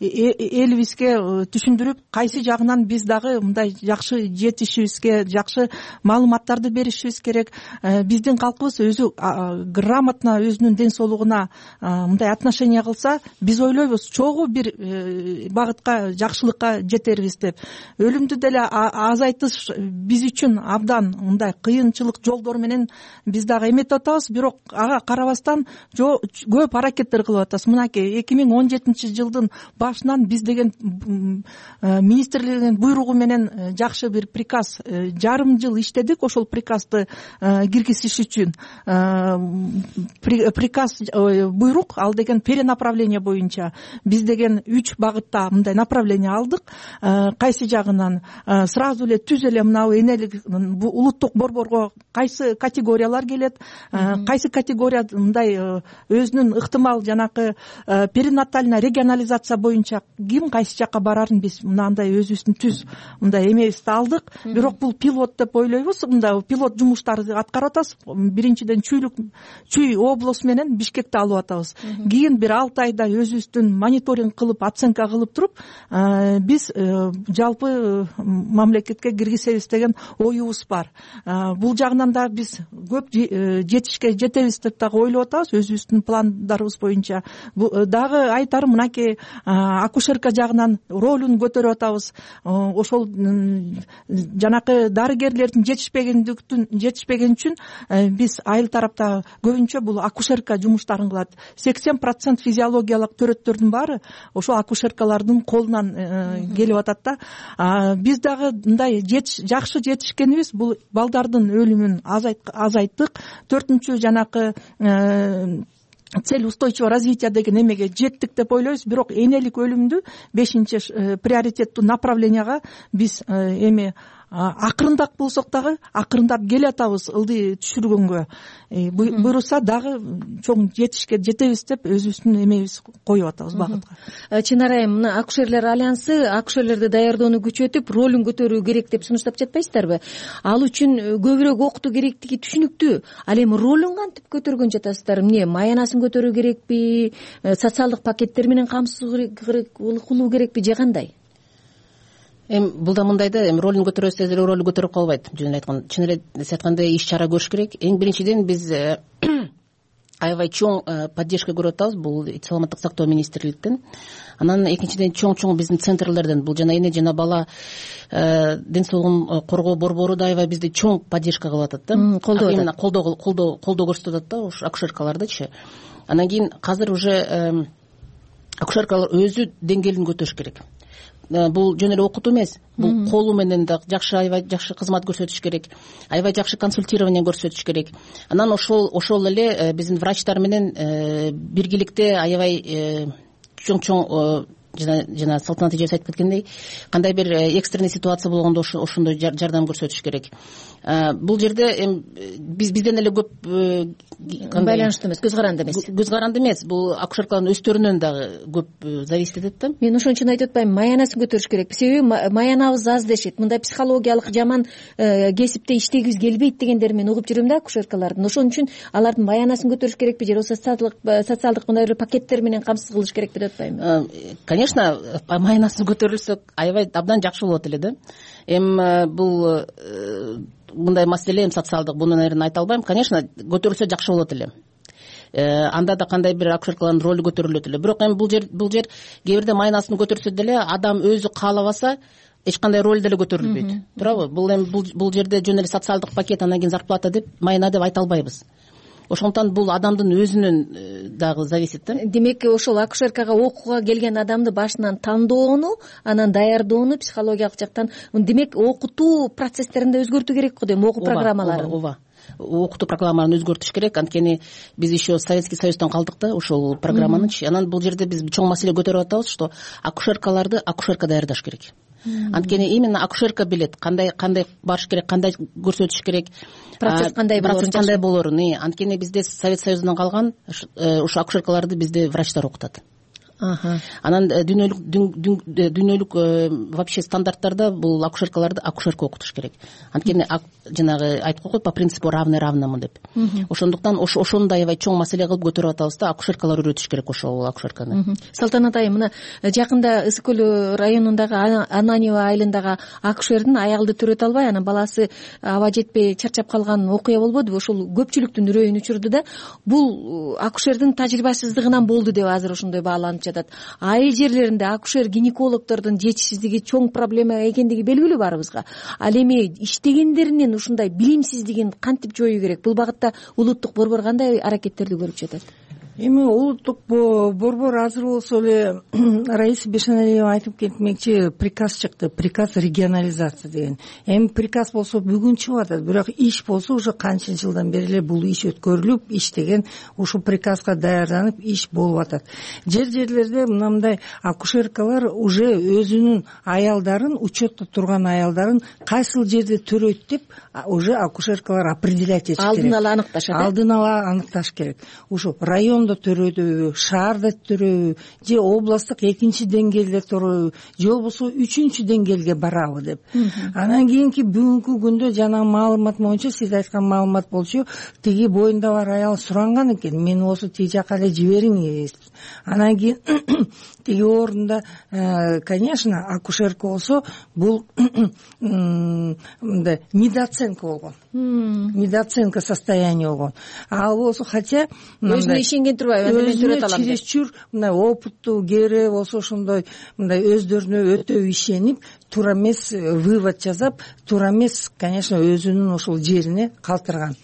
элибизге түшүндүрүп, кайсы жагынан биз дагы мындай жакшы жетишибизге, жакшы маалыматтарды беришибиз керек. Биздин калкыбыз өзү грамотно өзүнүн ден соолугуна мындай отношение кылса, биз ойлойбуз чогуу бир багытка жакшылыкка жетербиз деп. Өлүмдү деле азайтыш биз үчүн абдан мындай кыйынчылык жолдор менен биз дагы эметип атабыз, бирок ага карабастан көп аракеттер кылып атабыз. Мынакей эки миң он жетинчи жылдын башынан биз деген министрлигинин буйругу менен жакшы бир приказ, жарым жыл иштедик ошол приказды киргизиш үчүн. Приказ, буйрук, ал деген перенаправление боюнча биз деген үч багытта мындай направление алдык. Кайсы жагынан сразу эле түз эле мынау энелик улуттук борборго кайсы категориялар келет, кайсы категория мындай өзүнүн ыктымал жанакы перинатальная регионализация боюнча ким кайсы жакка барарын биз мынандай өзүбүздүн түз мындай эмебизди алдык. Бирок бул пилот деп ойлойбуз. Мындай пилот жумуштарды аткарып атабыз. Биринчиден чүйлүк чүй область менен Бишкекти алып атабыз. Кийин бир алты айда өзүбүздүн мониторинг кылып, оценка кылып туруп, биз жалпы мамлекетке киргизебиз деген оюбуз бар. Бул жагынан да биз көп жетишке жетебиз деп дагы ойлоп атабыз өзүбүздүн пландарыбыз боюнча. Дагы айтарым, мынакей акушерка жагынан ролун көтөрүп атабыз. Ошол жанакы дарыгерлердин жетишпегендиктин жетишпеген үчүн биз айыл тарапта көбүнчө бул акушерка жумуштарын кылат. сексен процент физиологиялык төрөттөрдүн баары ошол акушеркалардын колунан келип атат да. Биз дагы мындай жакшы жетишкенибиз бул балдардын өлүмүн азайттык. Төртүнчү жанакы цель устойчивого развития деген эмеге жеттик деп ойлойбуз. Бирок энелик өлүмдү бешинчи приоритеттүү направленияга биз эми акырындап болсок дагы акырындап келатабыз ылдый түшүргөнгө. Буюрса дагы чоң жетишке жетебиз деп өзүбүздүн эмебиз коюп атабыз багытка. Чынар айым, мына акушерлер альянсы акушерлерди даярдоону күчөтүп, ролун көтөрүү керек деп сунуштап жатпайсыздарбы? Ал үчүн көбүрөөк окутуу керектиги түшүнүктүү. Ал эми ролун кантип көтөргөн жатасыздар? Эмне, маянасын көтөрүү керекпи? Социалдык пакеттер менен камсыз кылуу керекпи же кандай? Эми бул да мындай да, эми ролун көтөрөсө деле ролу көтөрүп калбайт. Жөн айткан, чын эле сиз айткандай иш чара көрүш керек. Эң биринчиден биз аябай чоң поддержка көрүп атабыз бул саламаттык сактоо министрликтен. Анан экинчиден чоң-чоң биздин центрлерден, бул жана эне жана бала ден соолугун коргоо борбору да аябай бизди чоң поддержка кылып атат да. Колдоо атат. Колдоо колдоо колдоо көрсөтүп атат да ушу акушеркалардычы. Анан кийин азыр уже акушеркалар өзү деңгээлин көтөрүш керек. Бул жөн эле окутуу эмес, бул колу менен да жакшы аябай жакшы кызмат көрсөтүш керек, аябай жакшы консультирование көрсөтүш керек. Анан ошол ошол эле биздин врачтар менен биргеликте аябай чоң-чоң жана жана Салтанат эжебиз айтып кеткендей, кандай бир экстренный ситуация болгондо ошондой жардам көрсөтүш керек. Бул жерде эми биз бизден эле көп байланыштуу эмес, көз каранды эмес. Көз каранды эмес, бул акушеркалардын өздөрүнөн дагы көп зависит этет да. Мен ошон үчүн айтып атпаймынбы, маянасын көтөрүш керек. Себеби маянабыз аз дешет. Мындай психологиялык жаман кесипте иштегибиз келбейт дегендерин мен угуп жүрөм да акушеркалардын. Ошон үчүн алардын маянасын көтөрүш керекпи же социалдык социалдык мындай бир пакеттер менен камсыз кылыш керекпи деп атпаймынбы? Конечно, маянасы көтөрүлсө аябай абдан жакшы болот эле да. Эми бул мындай маселе эми социалдык, буну наверное айта албайм. Конечно, көтөрүлсө жакшы болот эле. Анда да кандай бир акушеркалардын ролу көтөрүлөт эле. Бирок эми бул жер бул жер кээ бирде майнасын көтөрсө деле адам өзү каалабаса эч кандай роль деле көтөрүлбөйт. Туурабы? Бул эми бул жерде жөн эле социалдык пакет, анан кийин зарплата деп, майна деп айта албайбыз. Ошондуктан бул адамдын өзүнөн дагы зависит да. Демек ошол акушеркага окууга келген адамды башынан тандоону, анан даярдоону психологиялык жактан, демек окутуу процесстеринде өзгөртүү керек го дейм, окуу программаларын. Ооба, окутуу программаларын өзгөртүш керек. Анткени биз еще Советский Союздон калдык да ушул программанычы. Анан бул жерде биз чоң маселе көтөрүп атабыз, что акушеркаларды акушерка даярдаш керек. Анткени именно акушерка билет кандай кандай барыш керек, кандай көрсөтүш керек, процесс кандай болорун, процесс кандай болорун. Анткени бизде Совет Союзунан калган ушу акушеркаларды бизде врачтар окутат. Анан дүйнөлүк дүйнөлүк вообще стандарттарда бул акушеркаларды акушерка окутуш керек. Анткени жанагы айтып койгой, по принципу равный равному деп. Ошондуктан ошондой аябай чоң маселе кылып көтөрүп атабыз да, акушеркалар үйрөтүш керек ошол акушерканы. Салтанат айым, мына жакында Ысык көл районундагы Ананьево айылындагы акушердин аялды төрөтө албай, анан баласы аба жетпей чарчап калган окуя болбодубу? Ошол көпчүлүктүн үрөйүн учурду да. Бул акушердин тажрыйбасыздыгынан болду деп азыр ошондой бааланып жатат. Айыл жерлеринде акушер гинекологдордун жетишсиздиги чоң проблема экендиги белгилүү барыбызга. Ал эми иштегендеринин ушундай билимсиздигин кантип жоюу керек? Бул багытта улуттук борбор кандай аракеттерди көрүп жатат? Эми улуттук борбор азыр болсо эле Раиса Бешеналиева айтып кетмекчи, приказ чыкты, приказ регионализация деген. Эми приказ болсо бүгүн чыгып атат, бирок иш болсо уже канча жылдан бери эле бул иш өткөрүлүп, иштеген, ушул приказга даярданып иш болуп атат. Жер жерлерде мындай акушеркалар уже өзүнүн аялдарын, учетто турган аялдарын кайсыл жерде төрөйт деп уже акушеркалар определять этиш керек. Алдын ала аныкташат. Алдын ала аныкташ керек. Ушу район төрөйбү, шаарда төрөйбү, же областтык экинчи деңгээлде төрөйбү, же болбосо үчүнчү деңгээлге барабы деп. Анан кийинки бүгүнкү күндө жана маалымат боюнча, сиз айткан маалымат болчу, тиги боюнда бар аял суранган экен, мени болсо тиги жака эле жибериңиз. Анан кийин тиги орунда, конечно, акушерка болсо бул мындай недооценка болгон. Недооценка состояния болгон. Ал болсо, хотя өзүнө ишенген турбайбы, мен төрөт алам деп. Чересчур мындай опыттуу, кээре болсо ошондой мындай өздөрүнө өтө ишенип, туура эмес вывод жасап, туура эмес, конечно, өзүнүн ошол жерине калтырган.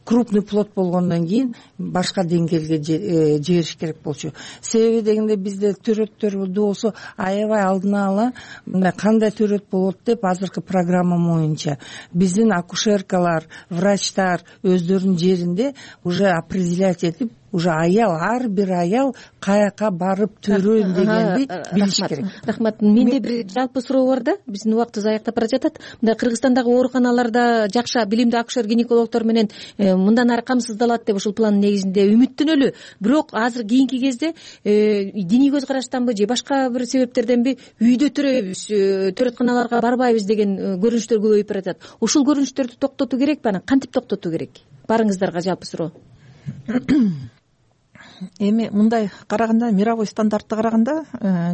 Крупный плод болгондон кийин башка деңгээлге жибериш керек болчу. Себеби дегенде бизде төрөттөр болсо аябай алдына ала мындай кандай төрөт болот деп азыркы программа боюнча биздин акушеркалар, врачтар өздөрүнүн жеринде уже определять этип, уже аял, ар бир аял каяка барып төрөйм дегенди билиш керек. Рахмат. Менде бир жалпы суроо бар да, биздин убактыбыз аяктап бара жатат. Мындай Кыргызстандагы ооруканаларда жакшы билимдүү акушер гинекологдор менен мындан ары камсыздалат деп ушул пландын негизинде үмүттөнөлү. Бирок азыр кийинки кезде диний көз караштанбы же башка бир себептерденби үйдө төрөйбүз, төрөтканаларга барбайбыз деген көрүнүштөр көбөйүп баратат. Ушул көрүнүштөрдү токтотуу керекпи? Анан кантип токтотуу керек? Барыңыздарга жалпы суроо. Эми мындай караганда, мировой стандартты караганда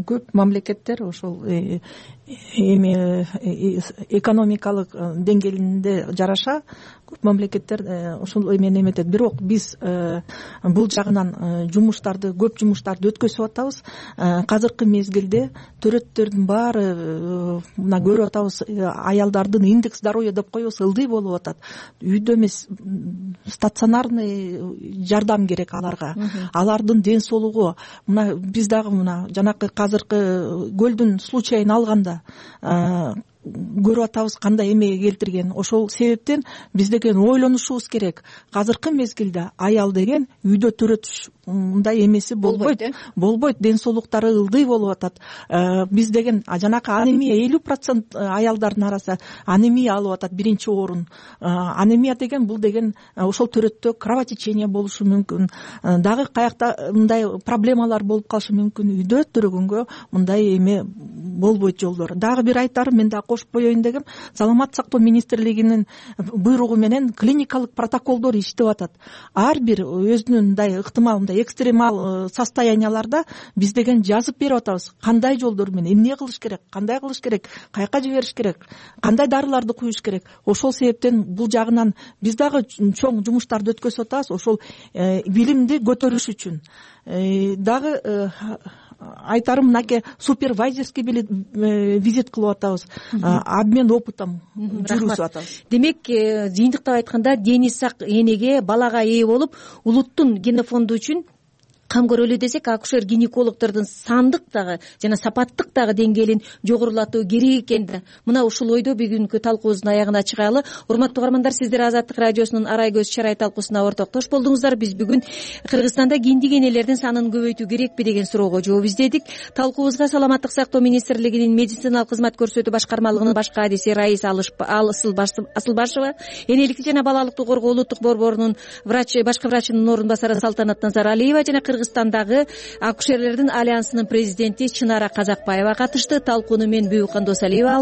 көп мамлекеттер ошол эми экономикалык деңгээлинде жараша көп мамлекеттер ушул эмени эметет. Бирок биз бул жагынан жумуштарды, көп жумуштарды өткөзүп атабыз. Азыркы мезгилде төрөттөрдүн баары мына көрүп атабыз, аялдардын индекс здоровья деп коебуз, ылдый болуп атат. Үйдө эмес, стационарный жардам керек аларга. Алардын ден соолугу, мына биз дагы мына жанакы азыркы көлдүн случайын алганда көрүп атабыз кандай эмеге келтирген. Ошол себептен биз деген ойлонушубуз керек. Азыркы мезгилде аял деген үйдө төрөтүш мындай эмеси болбойт. Болбойт, ден соолуктары ылдый болуп атат. Биз деген жанакы анемия элүү процент аялдардын арасында анемия алып атат, биринчи орун. Анемия деген бул деген ошол төрөттө кровотечение болушу мүмкүн. Дагы каякта мындай проблемалар болуп калышы мүмкүн. Үйдө төрөгөнгө мындай эме болбойт жолдор. Дагы бир айтарым, мен дагы кошуп коеюн дегем, Саламаттык сактоо министрлигинин буйругу менен клиникалык протоколдор иштеп атат. Ар бир өзүнүн мындай ыктымал мындай экстремал состоянияларда биз деген жазып берип атабыз кандай жолдор менен эмне кылыш керек, кандай кылыш керек, каяка жибериш керек, кандай дарыларды куюш керек. Ошол себептен бул жагынан биз дагы чоң жумуштарды өткөзүп атабыз ошол билимди көтөрүш үчүн. Дагы айтарым мынакей супервайзерский визит кылып атабыз, обмен опытом жүргүзүп атабыз. Демек, жыйынтыктап айтканда дени сак энеге, балага ээ болуп, улуттун генофонду үчүн кам көрөлү десек, акушер гинекологдордун сандык дагы жана сапаттык дагы деңгээлин жогорулатуу керек экен да. Мына ушул ойдо бүгүнкү талкуубуздун аягына чыгалы. Урматтуу угармандар, сиздер Азаттык радиосунун Арай көз чарай талкуусуна ортоктош болдуңуздар. Биз бүгүн Кыргызстанда киндик энелердин санын көбөйтүү керекпи деген суроого жооп издедик. Талкуубузга Саламаттык сактоо министрлигинин медициналык кызмат көрсөтүү башкармалыгынын баш кадиси Раиса Асылбашева, энеликти жана балалыкты коргоо улуттук борборунун врачы, башкы врачынын орун басары Салтанат Назаралиева жана Кыргызстандагы акушерлердин альянсынын президенти Чынара Казакбаева катышты. Талкууну мен Бүбүкан Досалиева